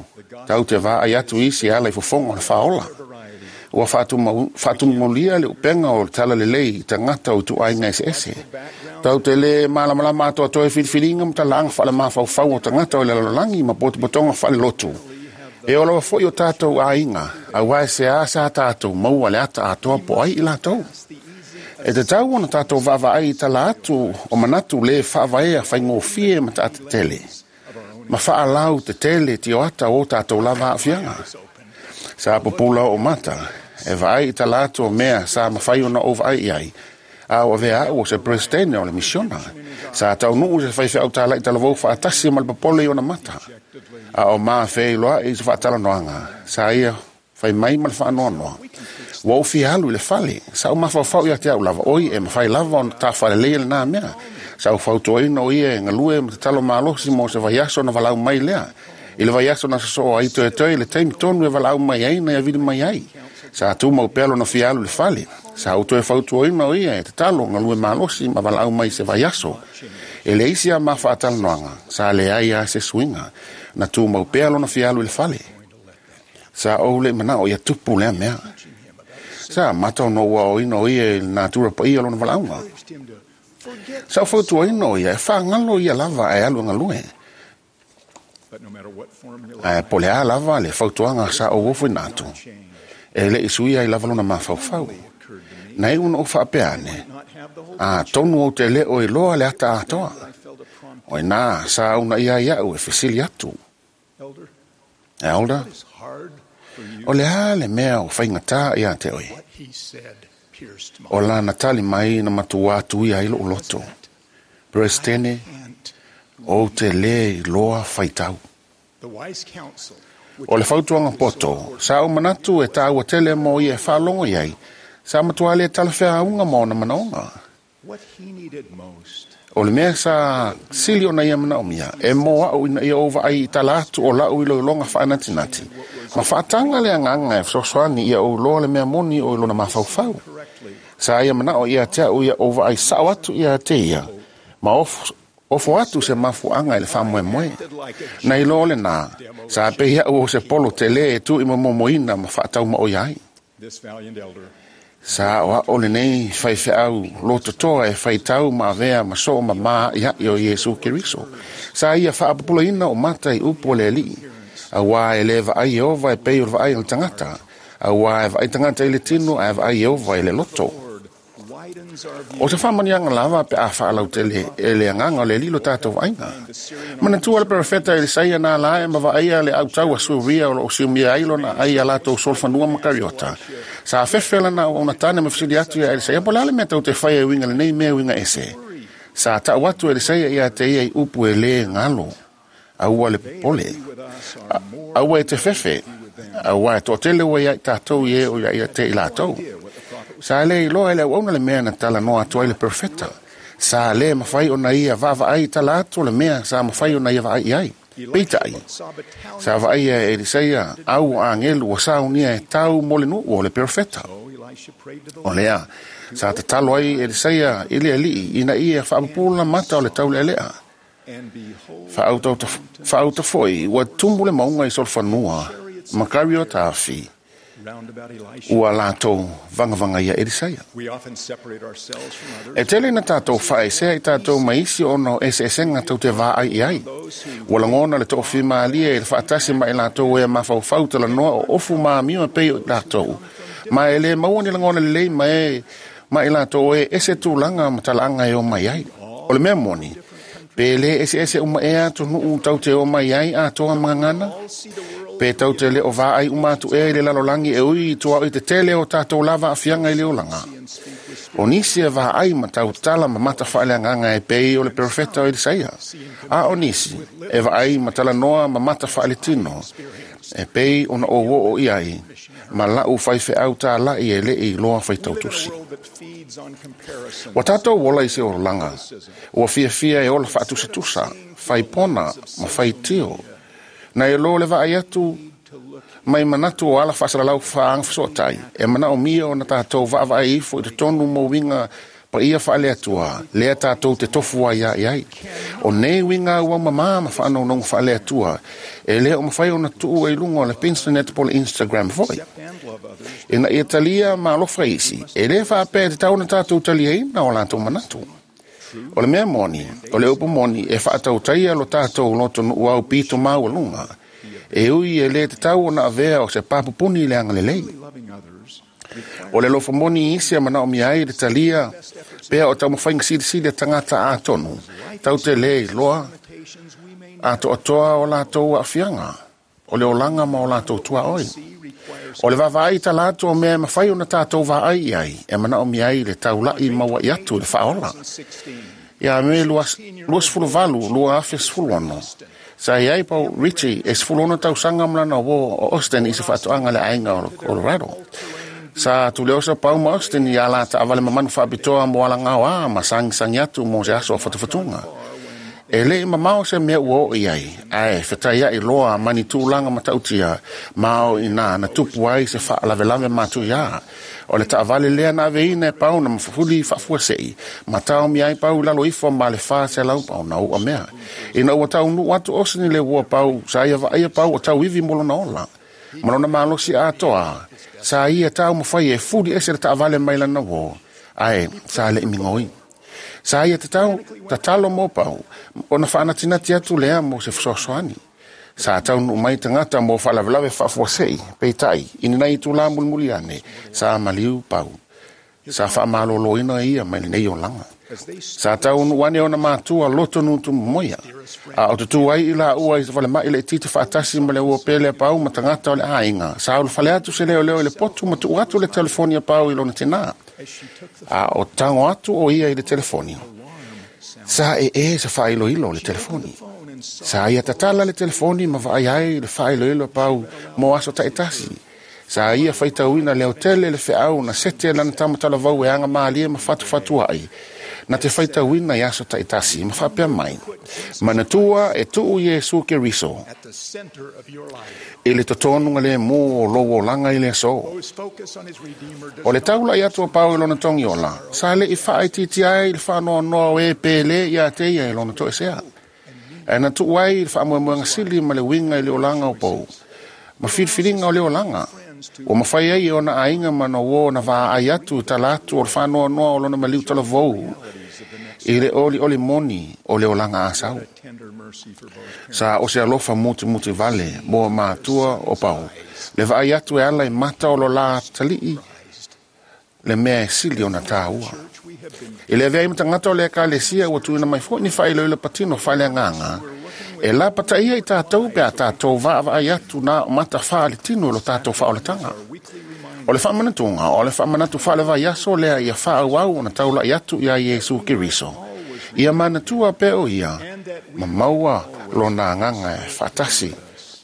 Tau te vaai atu isi ala i fofoga o le faaola. Ua faatumulia le upega o le tala lelei i tagata o ituaiga eseese. Tau te le malamalama atoatoa i filifiliga ma talaaga faalemafaufau o tagata o le lalolagi ma potopotoga faalelotu. E oo lava foi o tatou aiga, auā e seā sa tatou maua le ata atoa po o ai i latou. E tatau ona tatou vaavaai i tala atu o manatu lē faavaea faigofie ma taatetele, ma faalau tetele tioata o tatou lava aafiaga. Sa pupula oo mata, e vaai i tala atu o mea sa mafai ona ou vaai i ai, a o avea au o se peresetene o le misiona. Sa taunuu se faifeau tala'i talavou faatasi ma le popole i ona mata. A o mafeiloai i se faatalanoaga, sa ia fai mai ma le faanoanoa. Ua ou fia alu i le fale, sa ou mafaufau ia te au lava, oi e mafai lava ona tafaleleia lenā mea. Sa ou fautuaina o ia e galue ma tatalo malosi mo se vaiaso ona valaau mai lea. I le vaiaso na sosoo ai toetoe i le taimi tonu e valaau mai ai na ia vili mai ai. Sa tumau pea lona fia alu i le fale. Sa ou toe fautuaina o ia e tatalo galue malosi ma valaau mai se vaiaso. E le isi a ma faatalanoaga, sa leai a se suiga, na tumau pea lona fia alu i le fale. Sa ou le manao ia tupu lea mea. Sa mata ona ou aoaoina o ia i le natura paia o lona valaauga. Sa ou fautuaina o ia e faagalo ia lava ae alu e galue. Ae po o le a lava le fautuaga sa ou ofoina atu, e le'i suia ai lava lona mafaufau. Na iu ona ou faapea ane, atonu ou te le o iloa le ata atoa. O inā sa uunaia ai a'u e fesili atu. Elder, o le a le mea o faigatā iā te oe? O lana tali mai na matua atu ia i lou loto. Peresetene, ou te lē iloa faitau. O le fautuaga poto, sa ou manatu e tāua tele mo ia e faalogo i ai, sa matua le talafeauga ma ona manaoga. O le mea sa sili ona ia manaomia, e mo a'u ina ia ou vaai i tala atu o la'u iloiloga faanatinati, ma faataga le agaga e fesoasoani ia ou iloa le mea moni o i lona mafaufau. Sa ia manao ia te a'u ia ou vaai sa'o atu ia te ia, ma ofo atu se mafuaaga i le faamoemoe. Na iloa lenā, sa pei a'u o se polo telē e tu'i momomoina ma faataumaoia ai. Sa aʻoaʻo lenei faifeau lototoa e faitau ma avea ma soo mamā aʻiaʻi o Iesu Keriso. Sa ia faapupulaina o mata i upu o le Alii. Auā e lē vaai Ieova e pei o le vaai a le tagata. Auā e vaai tagata i le tino ae vaai Ieova i le loto. O se faamanuiaga lava pe a faalautele e le agaga o le Alii lo tatou vaaiga. Manatua le perofeta Elisaia na ala ae ma vaaia le autau a Suria o loo siumia ai lona ai a latou solofanua ma kariota. Sa fefe lana auauna tane ma fesili atu ia Elisaia, po o le a le mea tou te faia e uiga lenei mea uiga ese. Sa tau atu Elisaia ia te ia i upu e lē galo. Aua le popole. Aua e te fefe. Auā e toatele ua ia i tatou i e o ia te i latou. Sa lē iloa e le auauna le mea na talanoa atu ai le perofeta. Sa lē mafai ona ia vaavaai i tala atu o le mea sa mafai ona ia vaai i ai. Peitai, sa vaaia e Elisaia au o agelu ua saunia e tau mo le nuu o le perofeta. O lea, sa tatalo ai Elisaia i le Alii ina ia faapupula mata o le taulealea. Faauta foi, ua tumu le mauga i solofanua, ma kariota afi, ua latou vagavaga ia Elisaia. E tele na tatou faaesea i tatou ma isi ona o eseesega tou te vaai i ai. Ua lagona le toafimalie i le faatasi ma i latou e mafaufau talanoa o ofu ma amio e pei o i latou. Ma e lē maua ni lagona lelei ma e ma i latou e ese tulaga ma talaaga e o mai ai. O le mea moni, pe lē eseese uma ea atunuu tou te o mai ai atoa ma gagana? Pe tou te le o vaai uma atu ea i le lalolagi e ui i tuaoi tetele o tatou lava aafiaga i le olaga? O nisi e vaai ma tautala ma mata faaleagaga e pei o le perofeta o Elisaia. A o nisi e vaai ma talanoa ma mata faaletino e pei ona ou oo i ai ma la'u faifeau tāla'i e le'i iloa faitautusi. Ua tatou ola i se olaga ua fiafia e ola faatusatusa, faipona ma faitio. Na e lo le vaai atu mai manatu o ala faasalalau faagafesootai e manaomia ona tatou vaavaai ifo i totonu mo uiga paia faaleatua lea tatou te tofu ai ia i ai. O nei uiga auaumamā ma faanonoga faaleatua e lē o mafai ona tuu ai luga o le Pinternet po o le Instagram foi. Ina ia talia ma alofa isi, e lē faapea e tatau ona tatou taliaina o latou manatu. O le mea moni, o le upu moni e faatautaia lo tatou lotonuu au pito maualuga. E ui e lē tatau ona avea o se papupuni i le agalelei. O le alofa moni i isi e manaomia ai le talia pea o taumafaiga silisili a tagata atonu, tou te lē iloa atoatoa o latou aafiaga, o le olaga ma o latou tuaoi. O le vaavaai i tala atu o mea e mafai ona tatou vaai i ai, e manaomia ai le taula'i maua'i atu i le faaola. Ia Me 28, 2016, sa i ai Paul Ritchie e 16 tausaga ma lana uō o Austin i se faatoaga a le aiga o Colorado. Sa tuleosa Pau ma Austin i ala taavale mamanu faapitoa mo alagaoā ma sagisagi atu mo se aso o fatufatuga. E le'i mamao se mea ua oo i ai, ae fetaia'i loa ma ni tulaga matautia ma o i inā na tupu ai se faalavelave matuiā. O le taavale lea na aveina e Pau na mafuli faafuase'i ma taomia ai Pau i lalo ifo ma le 400 paona u'a mea. Ina ua taunuu atu Austin i le uo a Pau, sa ia vaaia Pau o tauivi mo lona ola. Ma lona malosi atoa, sa ia taumafai e fuli ese le taavale mai lana uō, ae sa le'i migoi. Sa ia tatau tatalo mo Pau ona faanatinati atu lea mo se fesoasoani. Sa taunuu mai tagata mo faalavelave faafuase'i, peitai, i lenei itulā mulimuli ane, sa maliu Pau. Sa faamaloloina ia mai lenei olaga. Sa taunu ane ona matua loto nutu moia. A o tutu ai i la ua i se falemai le titi faatasi ma le ua pele a pau ma tagata o le aiga. Sa ulufale atu se leoleo i le potu ma tuu atu le telefoni a Pau i lona tinā. A o tago atu o ia i le telefoni. Sa ee se faailoilo o le telefoni. Sa ia tatala le telefoni ma vaai ai le faailoilo a Pau mo aso taitasi. Sa ia faitauina le autele le feau na sete lana tamatalavau e aga malie ma fatufatuai. Na te faitauina i aso taitasi ma faapea mai. Manatua e tuu Iesu Keriso. I le totonuga le mu o lou olaga i le aso. O le taula'i atu a Pau i lona togiola, sa le'i faaitiitia ai le faanoanoa o e pele ia te ia i lona toesea. Ae na tuu ai le faamoemoega sili ma le uiga i le olaga o pou. Ma filifiliga o le olaga. Ua mafai ai e ona aiga ma na uo na vaai atu i tala atu o le faanoanoa o lona maliu talavou i le olioli moni o le olaga asau. Sa o se alofa mutumutu vale mo matua o Pau. Le vaai atu e ala i mata o lo la talii le mea e sili ona tāua. I le avea i matangata o le ekalesia ua tuuina mai foi ni faailoilo patino faaleagaga e lapataia i tātou pe a tātou vaavaai atu na o mata faaletino i lo tātou faaolataga. O le faamanatuga o le faamanatu faalevaiaso lea ia faaauau ona taula'i atu iā Iesu Keriso. Ia manatua pea o ia ma maua lona agaga e faatasi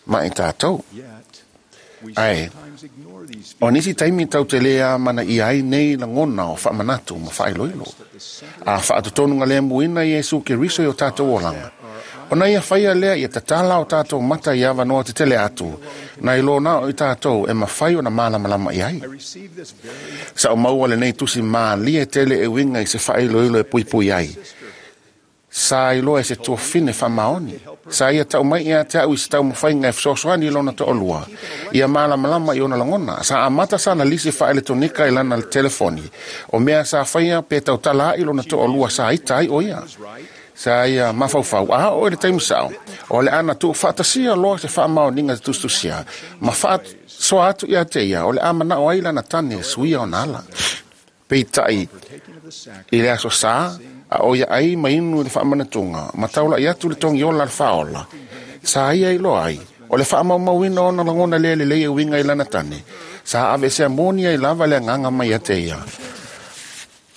ma i tātou. Ae, o nisi taimi tau te lē amanaia ai nei lagona o faamanatu ma faailoilo. A faatotonuga lemuina Iesu Keriso i o tātou olaga. Ona ia whaia lea ia tatala o tātou mata i avanoa te tele atu, na i lōna o i tātou e mawhai o na malamalama i ai. Sa o maua le nei tusi mālie tele e winga i se whaailoilo e puipui ai. Sa iloa e se tuafine whamaoni. Sa ia tau mai ia te au i se tau mawhainga e whasoasoani i lona to'olua. Ia malamalama i ona lagona. Sa amata sa na lisi whaeletonika i lana telefoni. O mea sa whaia pe tautala ai lona to'olua sa ita ai o ia. Sa ia mafaufau a o le taimi sao. O le ana tuu faatasia loa se faamaoniga te tusitusia. Ma faasoa atu ia te ia o le a manao ai lana tane e suia ona ala. Peitai i le aso sa, a o ia ai ma inu i le faamanatuga, ma taula'i atu le togiola le faaola. Sa ia iloa ai, o le faamaumauina ona lagona lea lelei e uiga i lana tane. Sa aveesea moni ai lava le agaga mai ia te ia.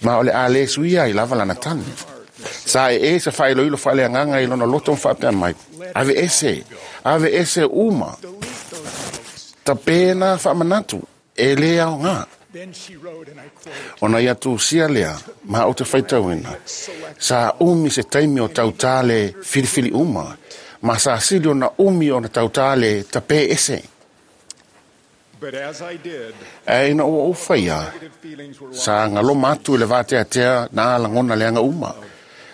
Ma o le a lē suia ai lava lana tane. Sa e e se faailoilo faaleagaga i lona loto ma faapea mai. Ave ese, ave ese uma. Tapena faamanatu, e lē aogā. Ona ia tusia lea, ma o te faitauina. Sa umi se taimi o tautā le filifili uma, ma sa sili ona umi ona tautā le tapē ese. Ae ina ua ou faia, sa galoma atu i le vateatea na lagona leaga uma.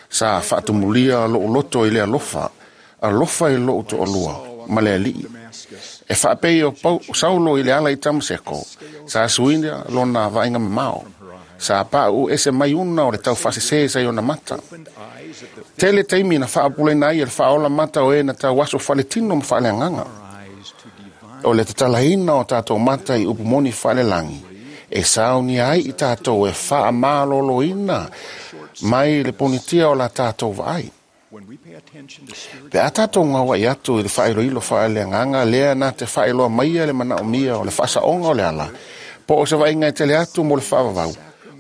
Sa faatumulia lou loto i le alofa, alofa i lou toalua ma le alii. E faapei o Saulo i le ala i Tamaseko, sa suina lona vaaiga mamao. Sa pauu ese mai una o le taufaasesē sa i ona mata. Tele taimi na faapulena ai e le faaola mata o e na tauaso faaletino ma faaleagaga. O le tatalaina o tātou mata i upu moni faalelagi, e saunia ai i tātou e faamaloloina mai le ponitia o la tātou vaai. Pe a tātou ngaua'i atu i le faailoilo faaleagaga lea na te faailoa maia le manaomia o le faasaoga o le ala, po o se vaaiga e tele atu mo le faavavau,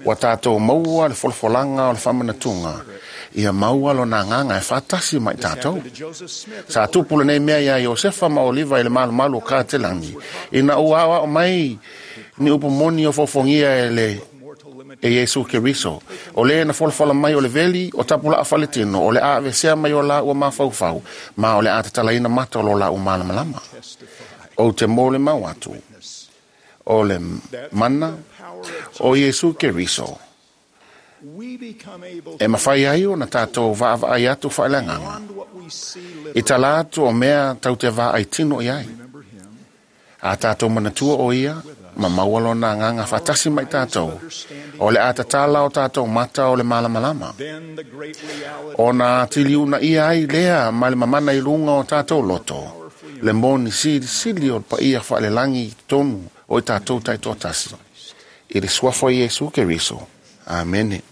ua tātou maua le folafolaga o le faamanatuga, ia maua lona agaga e faatasi ma i tātou. Sa tupu lenei mea iā Iosefa ma Oliva i le malumalu o Katelagi, ina ua aoao mai ni upu moni o fofogia e le e Iesu Keriso. O le na folafola mai o le veli o tapulaa faletino, o le a avesea mai o la ua mafaufau, ma o le a tatalaina mata o lo la ua malamalama. O te mō le mau atu, o le mana o Iesu Keriso. E mawhai ai o na tātou vaavaai atu faaleagaga. I tala atu o mea tau te vaai tino i ai. A tātou manatua o ia, ma maua lona agaga faatasi mai tātou. O le a tatala o tātou mata o le malamalama. Ona atili una ia ai lea ma le mamana i luga o tātou loto. Le moni silisili o le paia faalelagi i totonu o i tātou taitoatasi. I le suafa o Iesu Keriso. Amene.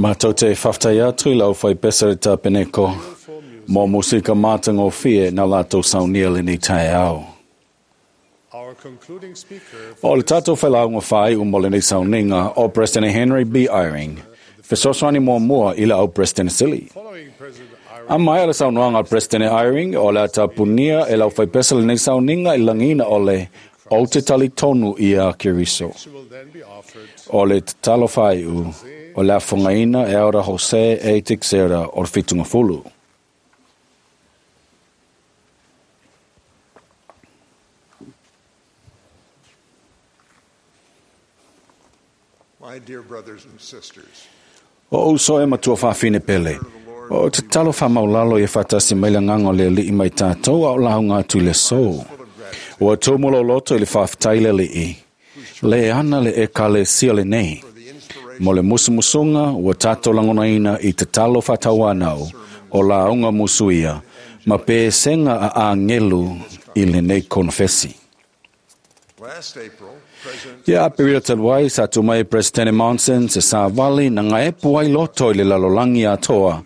Mātou te whawhtai atu i lau whai pesa le tāpeneko mō musika mātangofie nā lātou saunia le nei tae ao. O le tātou whailaunga whai o mo le nei sauninga o President Henry B. Eyring. Fesoasoani muamua i le au President Sili. A mai le saunoaga a President Eyring o le atapunia e lau whaipesa le nei sauninga i langina o le o te tali tonu ia Keriso. O le tatalo whaiu o le afongaina e aura Jose e Teixeira o le whitunga fulu. My dear brothers and sisters, O uso e matua whawhine pele. O te talo whamaulalo i whatasi mai nganga le li'i mai tātou au lau ngā tui le sō. Ua tūmulo loto i le whawhitai le li'i. Le ana le e kale sia le nei. Mo le musumusunga ua tātou langonaina i te talo whatauanau o la unga musuia ma pe senga a angelu i le nei konfesi. last April, President Ia aperila taluai sa tu mai President Monson se sa vali na ngā epu ai loto i le lalolangi atoa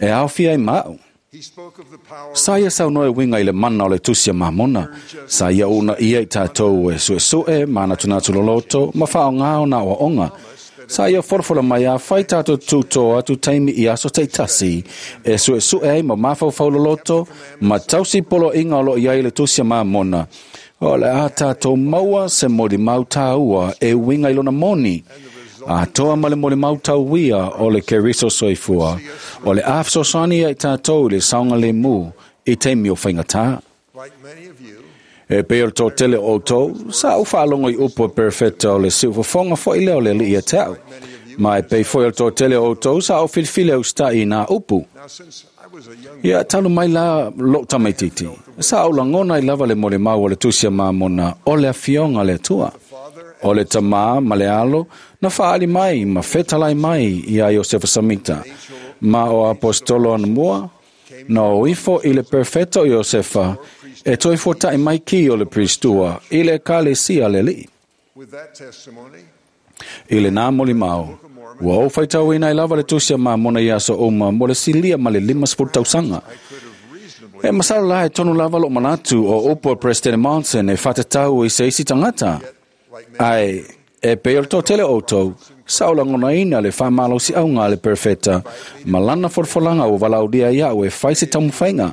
e awhia i mau. he spoke of the power Sa ia sau noe winga i le mana o le tusia mamona. Sa ia una ia i tātou e sue sue, mana tuna loloto, ma whao ngāo nā o onga. Sa ia forofora mai a whai tātou tūtō atu taimi i aso te tasi, e sue sue ai ma mawhau loloto, ma tausi polo inga o lo ia i le tusia mamona. O le a tātou maua se mori mau tāua e winga i lona moni. A toa ma le mori mau tauia o le keriso soifua. O le awhsosani ai tātou i le saunga le mū i te mio whaingatā. like many of you, E pe o tō tele o tō, sa u whaalongo i upo perfecta o le siufafonga fo i leo le li ia tau. Ma e pe foi o tō tele o tō, sa o filifile o stai nā upu. now since I was a young Ia talu mai la lo tamaititi. Sa au langona i lava le mole mau o le tusia mamona o le afionga le atua. O le tamā ma le alo, na whaali mai, ma whetalai mai i a Iosefa Samita. Ma o apostolo anamua, na o ifo i le perfecto Iosefa, e toi fōta'i mai ki o le pristua, i le kale sia le li. with that testimony, I le nā moli mau, ua o whaitau ina i lava le tusia mamona i aso uma mo le silia ma le 50 tausanga. I could have reasonably E masalo la e tonu lava lo manatu o upo President Monson e whatatau i se isi tangata. like many Ai, e pe o tō tele o tau, sa o langona ina le whamalo si au ngā le perfecta, ma lana forfolanga o walaudia ia o e whai se tamuwhainga.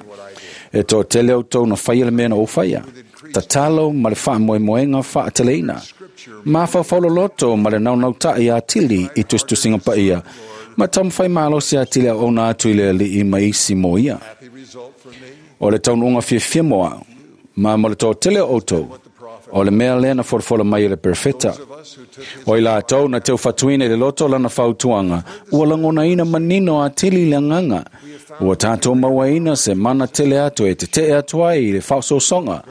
E tō tele o tau na whaia le mea na o whaia. Tatalo ma le whaamoemoenga whaateleina. Ma whawhaulo loto ma le naunau tai a tili i tustusinga paia. Ma tamuwhai malo si a tili a ona atu i le li i maisi mo ia. happy result for me, O le taununga fiafia moa, ma mo le tō tele o tau, o le mea lea na forofola mai e le perfecta. those of us who took his O i la tau na teu whatuina i le loto lana whautuanga, ua langona ina manino a tili le nganga. Ua tātou mauaina se mana tele atu e te te atu ai i le whaososonga.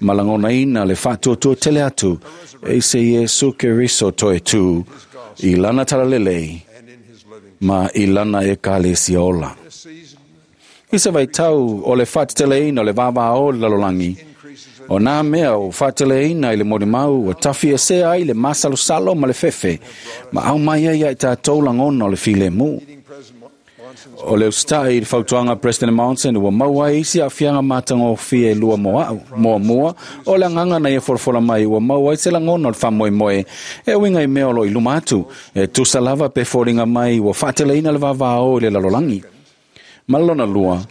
Ma langona ina le whatuatua tele atu, e se Iesu Keriso toe tū, i lana talalelei, and in his living ma i lana e kale si ola. this season I se vai tau o le whateteleina o le vāvā o le lalolangi. increases O nā mea o whateteleina i le morimau o tawhi e sea ai le masalosalo ma le fefe. Ma au mai ai ai tātou langona o le file mū. meeting President Monson's O le ustai i le fautuanga President Monson ua maua ai isi a fianga mātanga o fie lua moa au, moa mua, o le anganga na ia forofola mai ua maua ai se langona o le whamoemoe e winga i mea o lo i luma atu, e tusa lava pe fōringa mai ua whaateleina le vāvā o i le lalolangi. Ma lona lua,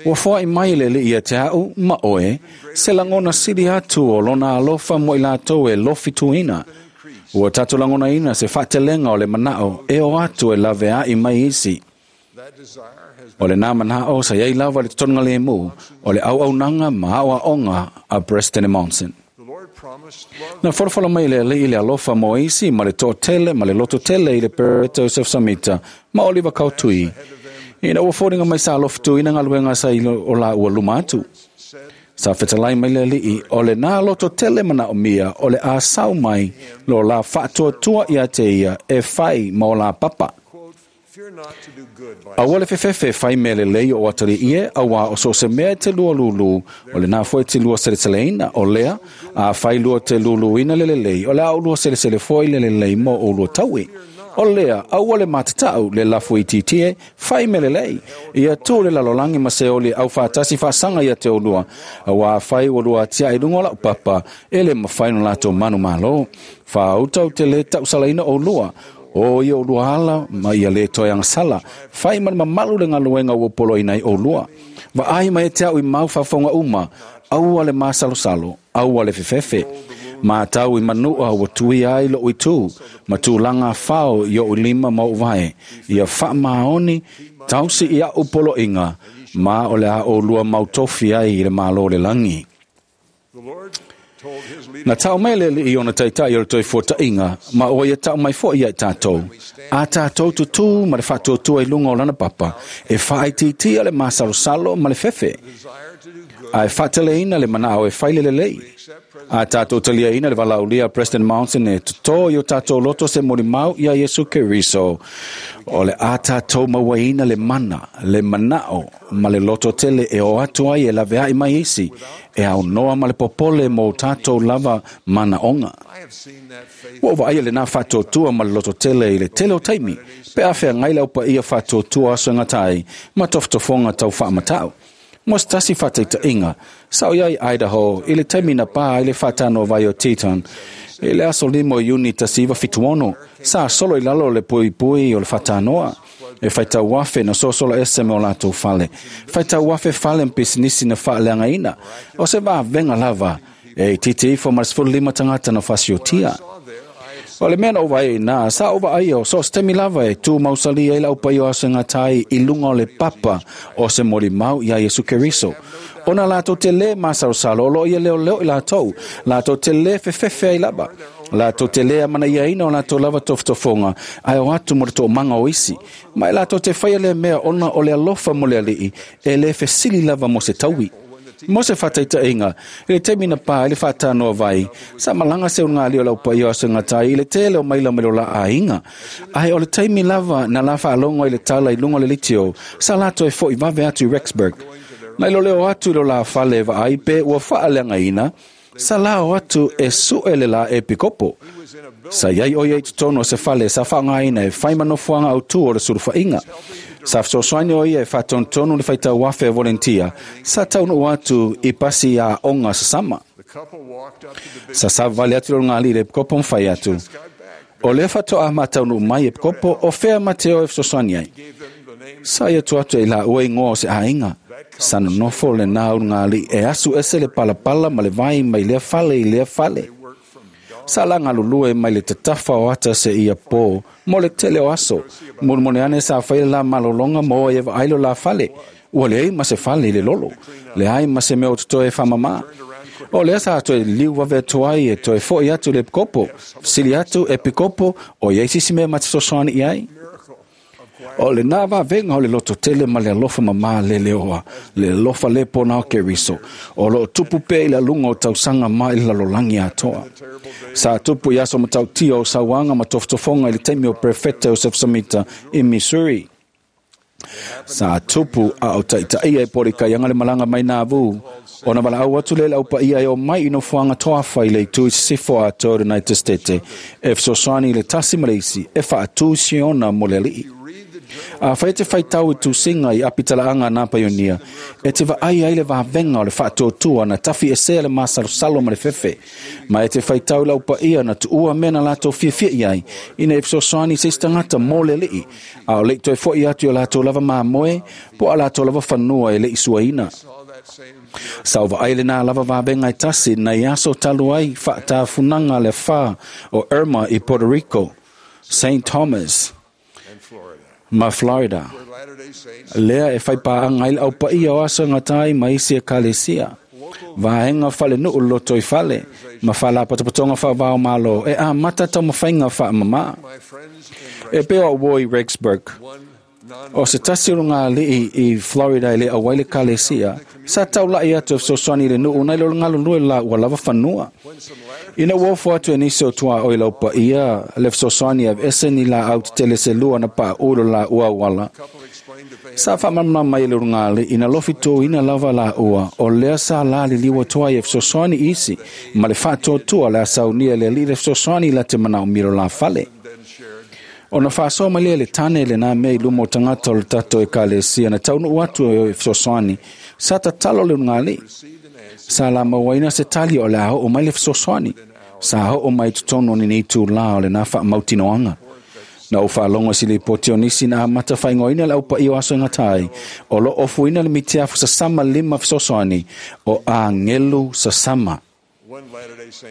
ua foai mai le li ia te au, ma oe, se langona sili atu o lona alofa mo i lātou e lofi tuina. Ua tātou langona ina se whaatelenga o le manao e o atu e lave ai mai isi. that desire has O le nā manao sa iai lava le totonga le mu, o le au au nanga ma au aonga a Preston Monson. the Lord promised love Na forofolo mai le alii le alofa mo isi ma le tōtele ma le loto tele i le Pereta Joseph Samita ma Oliver Kautui. Ina ua fōringa mai sa alofa tui na ngaluenga sa i o la ua luma atu. said Sa fetalai mai le alii o le nā loto tele mana o mia o le a sau mai lo la whaatuatua ia te ia e whai ma o la papa. quote fear not to do good by Aua le fefefe whai mea le lei o atari ie, aua o so se mea e te lua lulu, o le nā foi te lua seleseleina, o lea, a whai lua te lulu ina le lelei, o le au lua selesele foi le lelei mo o lua taui. O lea, aua le matatau le lafo itiiti e, fai mea lelei. Ia tu le lalolagi ma Seoli au faatasi faasaga ia te oulua. Auā afai ua lua atiae i luga o lau papa, e le mafai ona latou manumalo. Faauta ou te le tausalaina oulua. O i oulua ala ma ia le toe agasala. Fai ma le mamalu le galuega ua poloina ai oulua. Vaai mai ia te au i mau faafofoga uma, aua le masalosalo, aua le fefefe. Matau i manua ua tuia ai lou itu, ma tulaga fao i ou lima ma ou vae. Ia faamaoni, tausi i a'u poloaiga, ma o le a oulua mautofi ai i le Malo o le lagi. Na tau mai le Alii i ona taitai o le toefuataiga, ma ua ia tau mai foi ia i tatou. A tatou tutū ma le faatuatua i luga o lana papa, e faaitiitia le masalosalo ma le fefe, ae faateleina le manao e fai le lelei. A tatou taliaina le valaaulia a President Monson e totō i o tatou loto se molimau iā Iesu Keriso, o le a tatou mauaina le mana, le manao ma le loto tele e o atu ai e laveai mai isi, e aunoa ma le popole mo tatou lava manaoga. Ua ou vaaia lenā faatuatua ma le loto tele i le tele o taimi, pe a feagai le aupaia faatuatua aso e gata ai ma tofotofoga tau faamatau. Mo se tasi faataitaiga, sa ou i ai i Idaho i le taimi na pā ai le faatanoa vai o Teton i le aso 5 o Iuni 1976, sa solo i lalo le puipui o le faatanoa. E faitau afe na sosola ese ma o latou fale. Faitau afe fale ma pisinisi na faaleagaina. O se vavega lava e itiiti ifo ma le 15 tagata na fasiotia. O le mea na ou vaai ai i ina, sa ou vaai o so o se taimi lava e tu mausali ai le aupaia o aso e gata ai i luga o le papa o se molimau iā Iesu Keriso. Ona latou te lē masalosalo o lo o ia leoleo i latou, latou te lē fefefe ai lava. Latou te lē amanaiaina o latou lava tofotofoga, ae o atu mo le toomaga o isi. Ma e latou te faia lea mea ona o le alofa mo le Alii, e lē fesili lava mo se taui. Mo se faataitaiga, i le taimi na pā ai le faatanoa vai, sa malaga se ulugalii o le aupaia o aso e gata ai i le tele o maila mai lo la aiga. Ae o le taimi lava na la faalogo ai le tala i luga o le litio, sa latou e fo'i vave atu i Rexburg. Na i lo leo atu i lo la fale e vaai pe ua faaleagaina, sa lao atu e su'e le la epikopo. Sa i ai ʻo ia i totonu o se fale sa faaaogaina e fai ma nofoaga autū o le sulufaiga. Sa fesoasoani ʻo ia e faatonutonu le faitau afe a volentia sa taunuu atu i pasi aoga sasama. Sa savavali atu le ulugalii i le epikopo ma fai atu, O lea faatoa ma taunuu mai epikopo, o fea ma te o e fesoasoani ai? Sa ia atu atu e i laua igoa o se aiga. Sa nonofo lenā ulugalii e asu ese le palapala ma le vai mai lea fale i lea fale. Sa la galulue mai le tatafa o ata seia pō mo le tele o aso. Mulimuli ane sa fai le la malologa mo e vaai lo la fale. Ua leai ma se fale i le lolo. Leai ma se mea o totoe e faamamā. O lea sa toe liu vave atu ai e toe fo'i atu i le epikopo. Fesili atu, Epikopo, o i ai se isi mea ma te fesoasoani i ai? O lenā vavega o le loto tele ma le alofa mamā leleoa, le alofa le pona o Keriso, o lo o tupu pea i le aluga o tausaga ma i le lalolagi atoa. Sa tupu i aso matautia o sauaga ma tofotofoga i le taimi o Perefeta Joseph Samita i Missouri. Sa tupu a o taitaia e Polikaianga le malaga mai Nauvoo, ona valaau atu lea i le aupaia e omai i nofoaga toafa i le itu i sisifo atoa o le United Stete e fesoasoani i le tasi ma le isi e faatū Siona mo le Alii. Afai e te faitau i tusiga i apitalaaga a nā paionia, e te vaai ai le vavega o le faatuatua na tafi esea le masalosalo ma le fefe, ma e te faitau i le aupaia na tuua mea na latou fiafia i ai, ina ia fesoasoani i se isi tagata mo le Alii, a o le i toe fo'i atu i o latou lava mamoe po o a latou lava fanua e le i suaina. Sa ou vaai lenā lava vavega e tasi nai aso talu ai faatafunaga le afa o Irma i Puerto Rico, Saint Thomas, ma Florida, lea e faipaaga ai le aupaia o aso e gata ai ma isi ekalesia, vaega falenuu lotoifale, ma faalapotopotoga faava-o-Malo e amata taumafaiga faamamā. E pei o au i Rexburg, o se tasi o lugalii i Florida e le auai le ekalesia, sa taula'i atu e fesoasoani i le nuu nai lo le galulue la ua lava fanua. Ina ua ofo atu e nisi o tuaoi i laupaia le fesoasoani e aveese ni laau tetele se lua na paʻu i lo laua auala, sa faamalamalama mai e le ulugalii ina lofi tuuina lava laua o lea sa laliliu atu ai e fesoasoani i isi ma le faatuatua o le a saunia e le alii le fesoasoani i la te manaomia lo la fale. Ona faasoa mai lea le tane lenā mea i luma o tagata o le tatou ekalesia na taunuu atu e fesoasoani. Sa tatalo le ulugalii. Sa lamauaina se tali o le a oo mai le fesoasoani. Sa oo mai totonu o lenei itulā o lenā faamautinoaga. Na ou faalogo i se lipoti o nisi na amata faaigoaina le aupaia o aso e gata ai, o loo ofuina le mitiafu sasama lima fesoasoani o agelu sasama.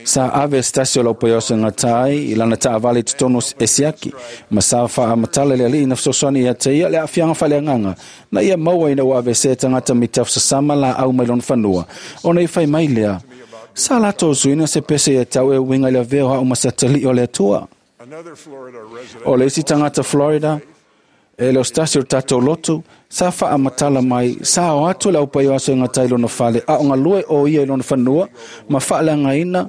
Sa ave se tasi o le aupaia o aso e gata ai i lana taavale i totonu e siaki, ma sa faamatala le alii na fesoasoani ia te ia le aafiaga faaleagaga na ia maua ina ua aveesea e tagata mitiafu sasama laau mai lona fanua, ona i fai mai lea, sa latou usuina se pese ia te au e uiga i le avea o au ma se atalii o le Atua. O le isi tagata Florida, e le o se tasi o le tatou lotu, sa faamatala mai, sa o atu le aupaia o aso e gata ai lona fale, a o galue o ia i lona fanua, ma faaleagaina,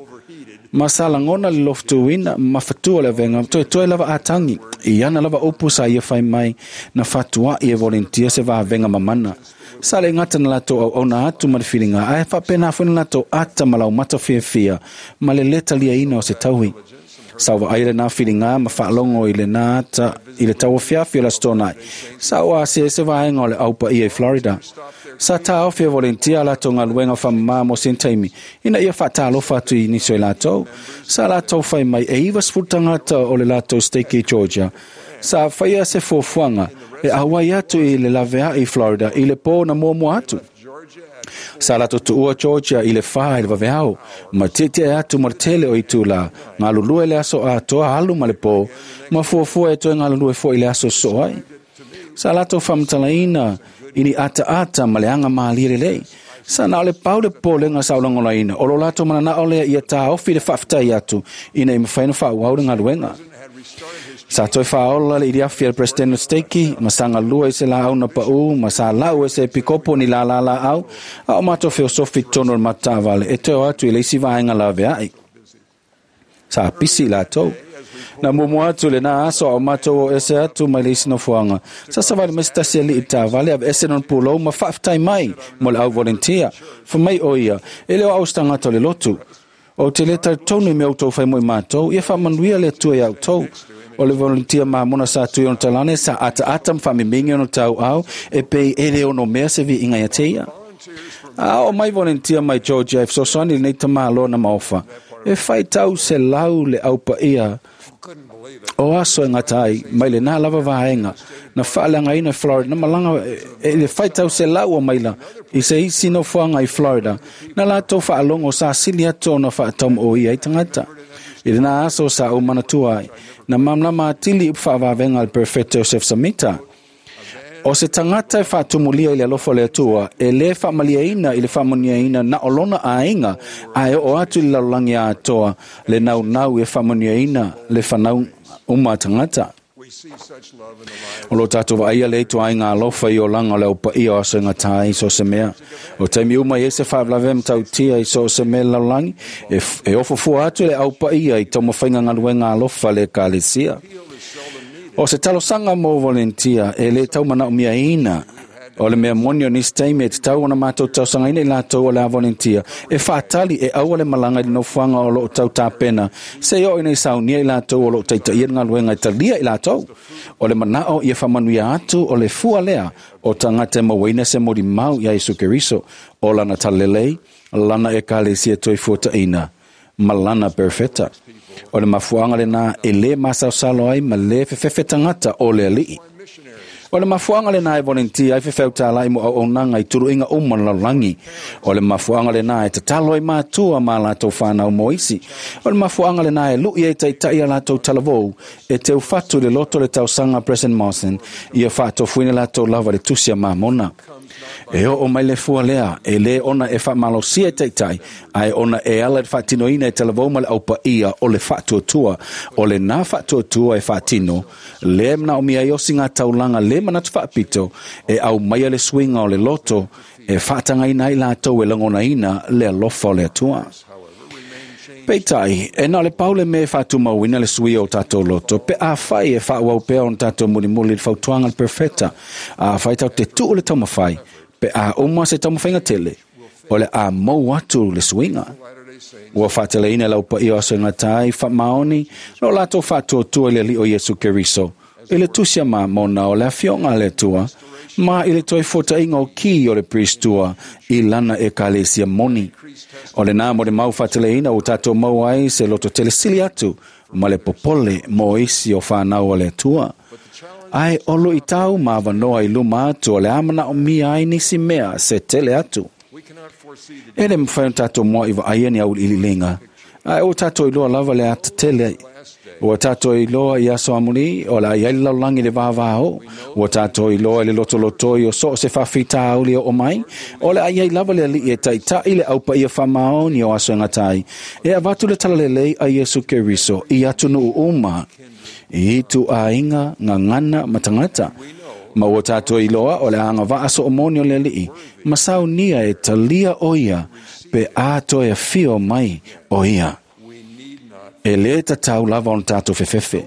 ma sa lagona le lofutuina, ma fatua le avega, toetoe lava atagi, i ana lava upu sa ia fai mai, na fatuai e volunteer se vavega mamana. Sa le gata na latou auauna atu ma le filiga, ae faapena foi na latou ata ma laumata fiafia, ma le lē taliaina o se taui. Sa vaai lenā filiga ma faalogo i lenā ata i le tauafiafi o le Aso Toonai. Sa o ase se vaega o le aupaia i Florida. Sa taofi e volunteer a latou galuega faamamā mo sina taimi, ina ia faatalofa atu i nisi o i latou. Sa latou fai mai e 90 tagata o le latou stake i Georgia. Sa faia se fuafuaga e auai atu i le laveai i Florida i le pō na muamua atu. Sa latou tuua Georgia i le 4 i le vaveao, ma tietie atu ma le tele o itulā, galulue le aso atoa alu ma le pō, ma fuafua e toe galulue foi i le aso sosoo ai. Sa latou faamatalaina i ni ataata ma le aga malie lelei. Sa na o le pau le popolega sa olagolaina, o lo latou mananao lea ia taofi le faafetai atu ina ia mafai ona faaauau le galuega. Sa toe faaola le iliafi a le President o Steiki, ma sa galue i se laau na paū, ma sa lau e se epikopo ni lālā laau, a o matou feosofi i totonu o le matou taavale e toe o atu i le isi vaega laveai. Sa pisi i latou. Na muamua atu lenā aso a o matou o ese atu mai le isi nofoaga. Sa savali mai se tasi alii i le taavale, aveese lona pulou ma faafetai mai mo le au volunteer. Fai mai o ia, e le o au se tagata o le lotu. Ou te le talitonu i mea outou fai mo i matou, ia faamanuia le Atua iā outou. O le volunteer mamona sa tui ona talane, sa ataata ma faamimigi ona tauau, e pei e le ono mea se viiga ia te ia. A oo mai volunteer mai Georgia e fesoasoani i lenei tamāloa na maofa, e faitau 100 le aupaia o aso e gata ai, mai lenā lava vaega na faaleagaina i Florida, na malaga e le faitau 100 o maila i se isi nofoaga i Florida, na latou faalogo sa sili atu ona faataumaoia ai tagata. I lenā aso sa ou manatua ai, na malamalama atili upu faavavega a le Perefeta Joseph Samita. O se tagata e faatumulia i le alofa o le Atua, e lē faamaliaina i le faamanuiaina na o lona aiga, ae oo atu i le lalolagi atoa le naunau e faamanuiaina le fanau uma a tagata. O lo tatou vaaia le ituaiga alofa i olaga o le aupaia o aso e gata ai i so o se mea. O taimi uma i ai se faalavelave matautia i so o se mea i le lalolagi, e ofofua atu le aupaia i taumafaiga galuega alofa a le ekalesia. O se talosaga mo volunteer e lē tau manaomiaina. O le mea moni o nisi taimi e tatau ona matou talosagaina i latou o le a volunteer e faatali e aua le malaga i le nofoaga o loo tau tapena, se i oo ina i saunia i latou o loo taitaia le galuega e talia i latou. O le manao ia faamanuia atu o le fua lea o tagata e mauaina se molimau iā Iesu Keriso, o lana talalelei, lana ekalesia toifuataʻina ma lana perefeta. O le mafuaaga lenā e lē masalosalo ai ma lē fefefe tagata o le alii. O le mafuaaga lenā e volunteer ai fefeautālai mo auaunaga i tuluiga uma o le lalolagi. O le mafuaaga lenā e tatalo ai matua ma latou fanau mo isi. O le mafuaaga lenā e lu'i ai taita'i a latou talavou e teufatu i le loto o le tausaga a President Monson ia faatofuina latou lava i le tusi a Mamona. E oo mai le fua lea, e lē ona e faamalosia e taitai, ae ona e ala i le faatinoina e talavou ma le aupaia o le faatuatua. O lenā faatuatua e faatino, lea e manaomia ai osiga taulaga lē manatu faapito, e aumaia le suiga o le loto, e faatagaina ai latou e lagonaina le alofa o le Atua. Peitai, e na o le pau le mea e faatumauina le suia o tatou loto, pe afai e faaauau pea ona tatou mulimuli i le fautuaga a le Perofeta, afai tatou te tuu le taumafai, pe a uma se taumafaiga tele, o le a mou atu le suiga. Ua fa'ateleina le aupaia o aso e gata ai fa'amaoni lo latou fa'atuatua i le Alii o Iesu Keriso i le tusi a Mamona o le afioga a le Atua ma i le toe fuata'iga o ki o le Peristua i lana ekalesia moni. O lenā mo le mau fa'ateleina ua tatou maua ai se loto telesili atu ma le popole mo isi o whānau o le Atua. Ae o lu'itau ma avanoa i luma atu o le a manaʻomia ai nisi mea se tele atu. E le mafai ona tatou moa'i vaaia ni auiliiliga, ae ua tatou iloa lava le atatele. Ua tatou iloa i aso amulī o le a iai le lalolagi i le vāvāō. Ua tatou iloa i le lotolotoi o so o se faafitauli e oo mai, o le a iai lava le Alii e taita'i le aupaia faamaoni o aso e gata ai, e avatu le talalelei a Iesu Keriso i atunuu uma, i ituaiga gagana ma tagata. Ma ua tatou iloa o le a agavaa soomoni o le Alii, ma saunia e talia o ia, pe a toe afio mai o ia. E lē tatau lava ona tatou fefefe.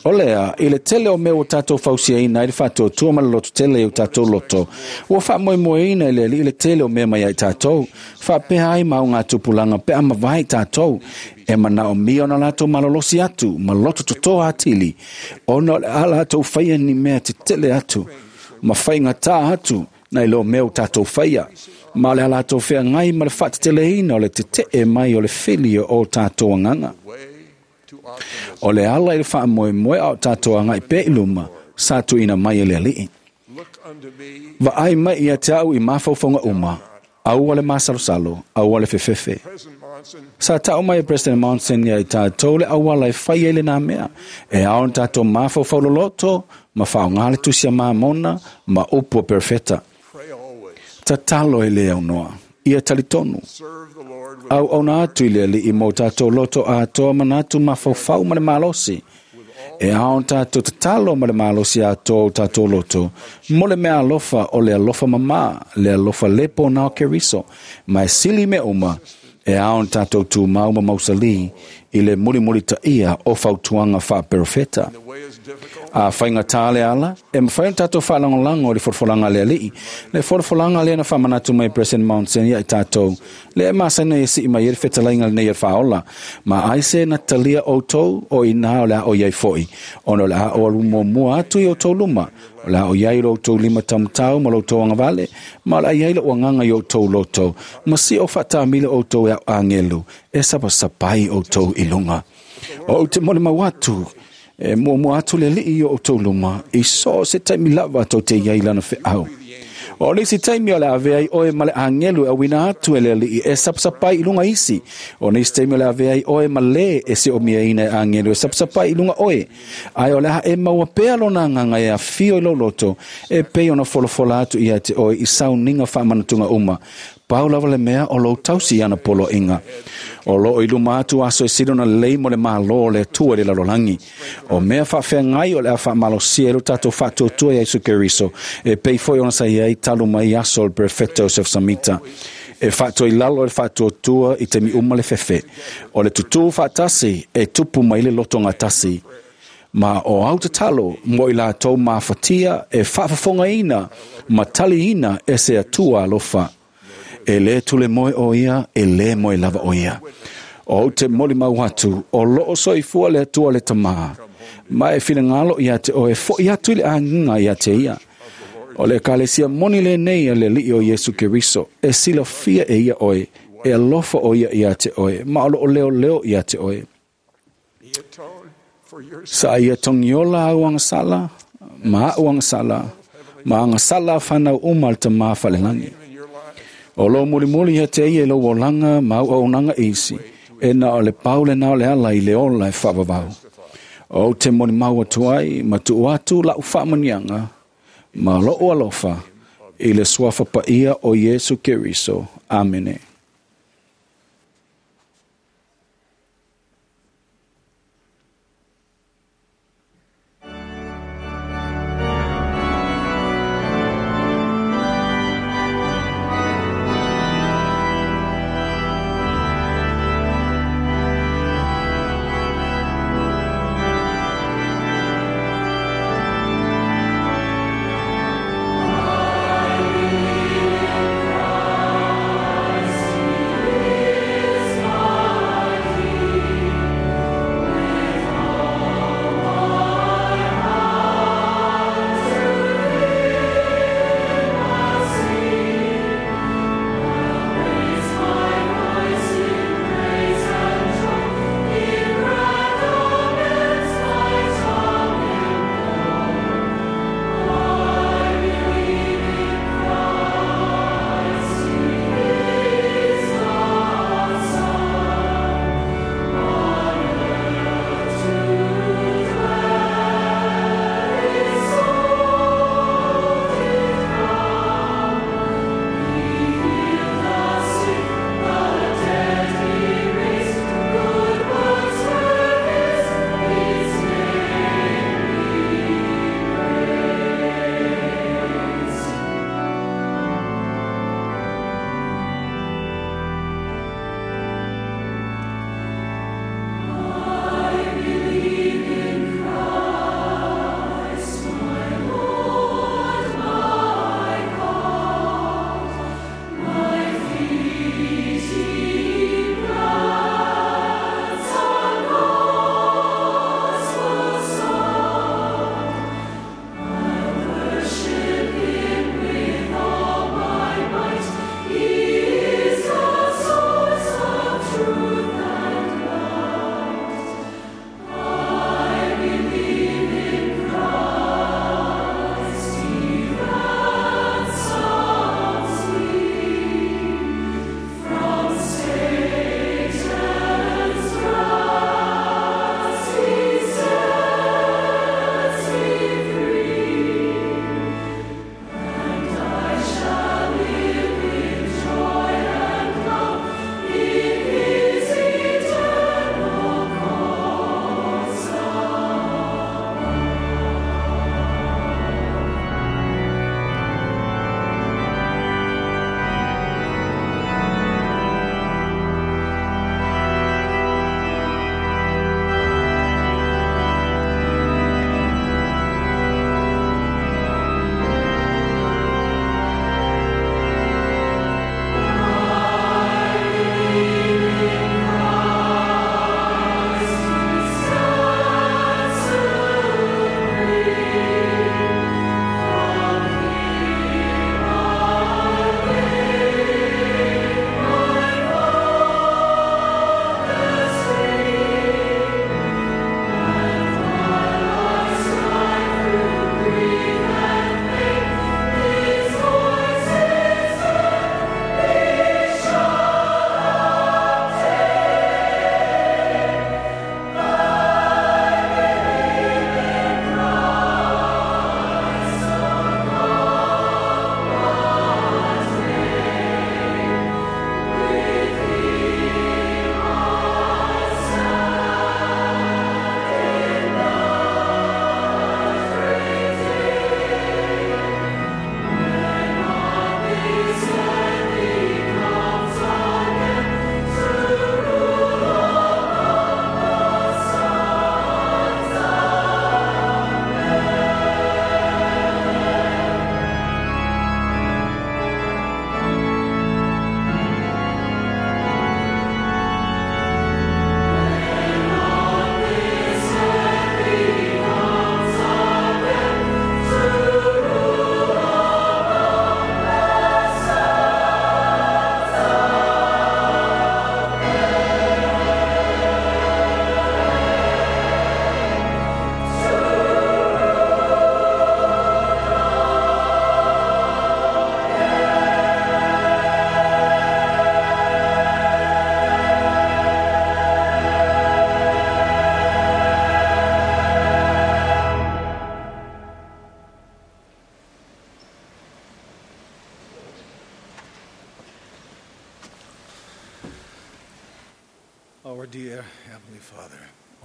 O lea, i le tele o mea ua tatou fausiaina ai le faatuatua ma le lototele i o tatou loto, ua faamoemoeina i le Alii le tele o mea mai ai tatou, faapea ai ma augatupulaga pe a mavae tatou, e manaomia ona latou malolosi atu ma loto totoa atili, ona o le a latou faia ni mea tetele atu, ma faigatā atu nai lo mea ua tatou faia, ma o le a latou feagai ma le faateteleina o le tete'e mai o le fili o tatou agaga. O le ala i le faamoemoe a o tatou aga'i pea i luma, sa tuuina mai e le Alii. Vaai mai ia te a'u i mafaufauga uma, aua le masalosalo, aua le fefefe. Sa ta'u mai e President Monson ia i tatou le auala e fai ai lenā mea, e ao ona tatou mafaufau loloto ma faaaogā le tusi a Mamona ma upu a perofeta. Tatalo e lē aunoa, ia talitonu. Auauna atu i le Alii mo tatou loto atoa manatu mafaufau ma le malosi. E ao ona tatou tatalo ma le malosi atoa o tatou loto, mo le mea alofa o le alofa mamā, le alofa lē pona o Keriso, ma e sili mea uma, e ao ona tatou tumau ma mausalī i le mulimulitaʻia o fautuaga faaperofeta. A faigatā le ala, e mafai ona tatou faalagolago i le folafolaga a le Alii, le folafolaga lea na faamanatu mai e President Monson ia i tatou, lea e masani e sii mai ai le fetalaiga lenei a le Faaola, ma ai se na talia outou o inā o le a o iai fo'i, ona o le a o alu muamua atu i outou luma, o le a o iai lo outou lima taumatau ma lo outou agavale, ma o le a iai lo'u agaga i outou loto, ma si o faatāmilo outou e a'u agelu, e sapasapai outou i luga. O ou te molimau atu, e muamua atu le Alii i o outou luma, i so o se taimi lava tou te iai lana fe'au. O le isi taimi o le a avea ai oe ma le agelu e auina atu e le Alii e sapasapai i luga isi. O nisi taimi o le a avea ai oe ma lē e seomiaina e agelu e sapasapai i luga oe. Ae o le a e maua pea lona agaga e afio i lou loto, e pei ona folafola atu ia te oe i sauniga faamanatuga uma. Pau lava le mea o lou tausi i ana poloaiga. O loo i luma atu aso e sili ona lelei mo le Mālō o le Atua i le lalolagi. O mea faafeagai o le a faamalosia ai lo tatou faatuatua iā Iesu Keriso, e pei foi ona sa i ai talu mai aso o le Perofeta Joseph Samita. E faatoilalo e le faatuatua i taimi uma le fefe. O le tutū faatasi e tupu mai le loto gatasi. Ma o au tatalo mo i latou mafatia e faafofogaina ma taliina e se Atua alofa. E lē tule moe o ia, e lē moe lava o ia. O ou te molimau atu, o loo soifua le Atua le Tamā, ma e finagalo ia te oe fo'i atu i le agiga ia te ia. O le ekalesia moni lenei a le Alii o Iesu Keriso, e silafia e ia oe, e alofa o ia ia te oe, ma o loo leoleo ia te oe. Sa ia togiola au agasala, ma a'u agasala, ma agasala a fanau uma a le Tamā falelagi. O lou mulimuli ia te ia i lou olaga ma auaunaga isi, e na o le pau lenā o le ala i le ola e faavavau. O ou te molimau atu ai ma tuu atu la'u faamanuiaga ma lo'u alofa i le suafa paia o Iesu Keriso. Amene. I believe in Christ.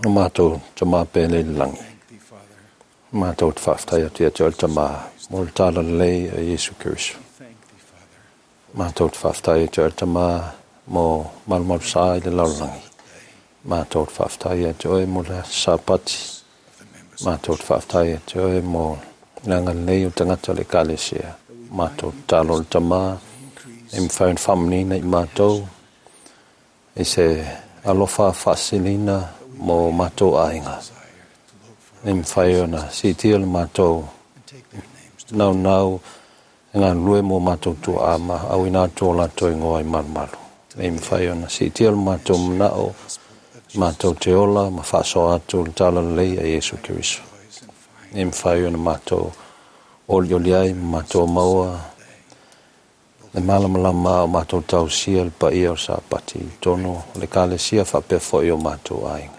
O mātou tamā pēlei le langi. Mātou te whaaftai atu ia te oe le tamā, mō le tāla lelei a Iesu Keriso. Mātou te whaaftai ia te oe le tamā, mō malumalu sā i le lalolagi. Mātou te whaaftai ia te oe mō le Sāpati. Mātou te whaaftai ia te oe mō le agalelei o tagata o le Ekalesia. Mātou te talo le tamā, e mawhai ona whaamanina i mātou, i se alofa whaasilina mō mātou aiga. E mawhai ona siitia le mātou naunau e galulue mō mātou tuaa ma auina atu o latou ingoa i malumalu. E mawhai ona siitia le mātou manao, mātou te ola ma whaasoa atu le talalelei a Iesu Keriso. E mawhai ona mātou olioli ai ma mātou maua le malamalama o mātou tausia le paia o Sāpati i totonu o le Ekalesia faapea foi o mātou aiga.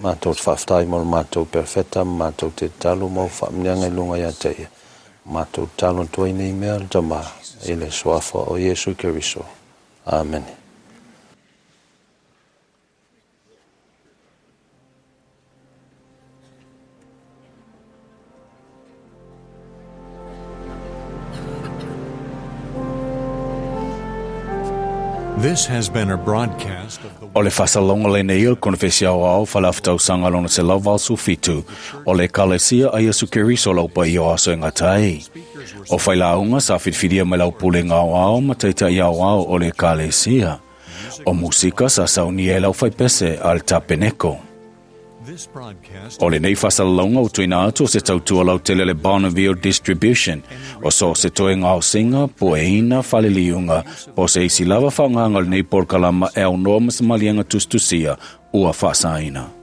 Mātou te faafetai mo le mātou perofeta ma mātou te tatalo ma o faamanuiaga i luga ia te ia. Mātou tatalo atu ai nei mea le Tama i le Suafa o Iesu Keriso. Amene. This has been a broadcast of the O le faasalalauga lenei o le Konefesi Aoao Faaleafa-tausaga lona 187 o le Ekalesia a Iesu Keriso lau paia o aso e gata ai. O failauga sa filifilia mai lau pulega aoao ma taitai aoao o le Ekalesia. O musika sa saunia e lau faipese a le Tapeneko. This broadcast O lenei faasalalauga ua tuuina atu o se tautua lautele a le Bonneville Distribution, o so o se toega aosiga, pueina, faleliuga, po o se isi lava faaaogaga o lenei polokalama e aunoa ma se maliega tusitusia ua faasaina.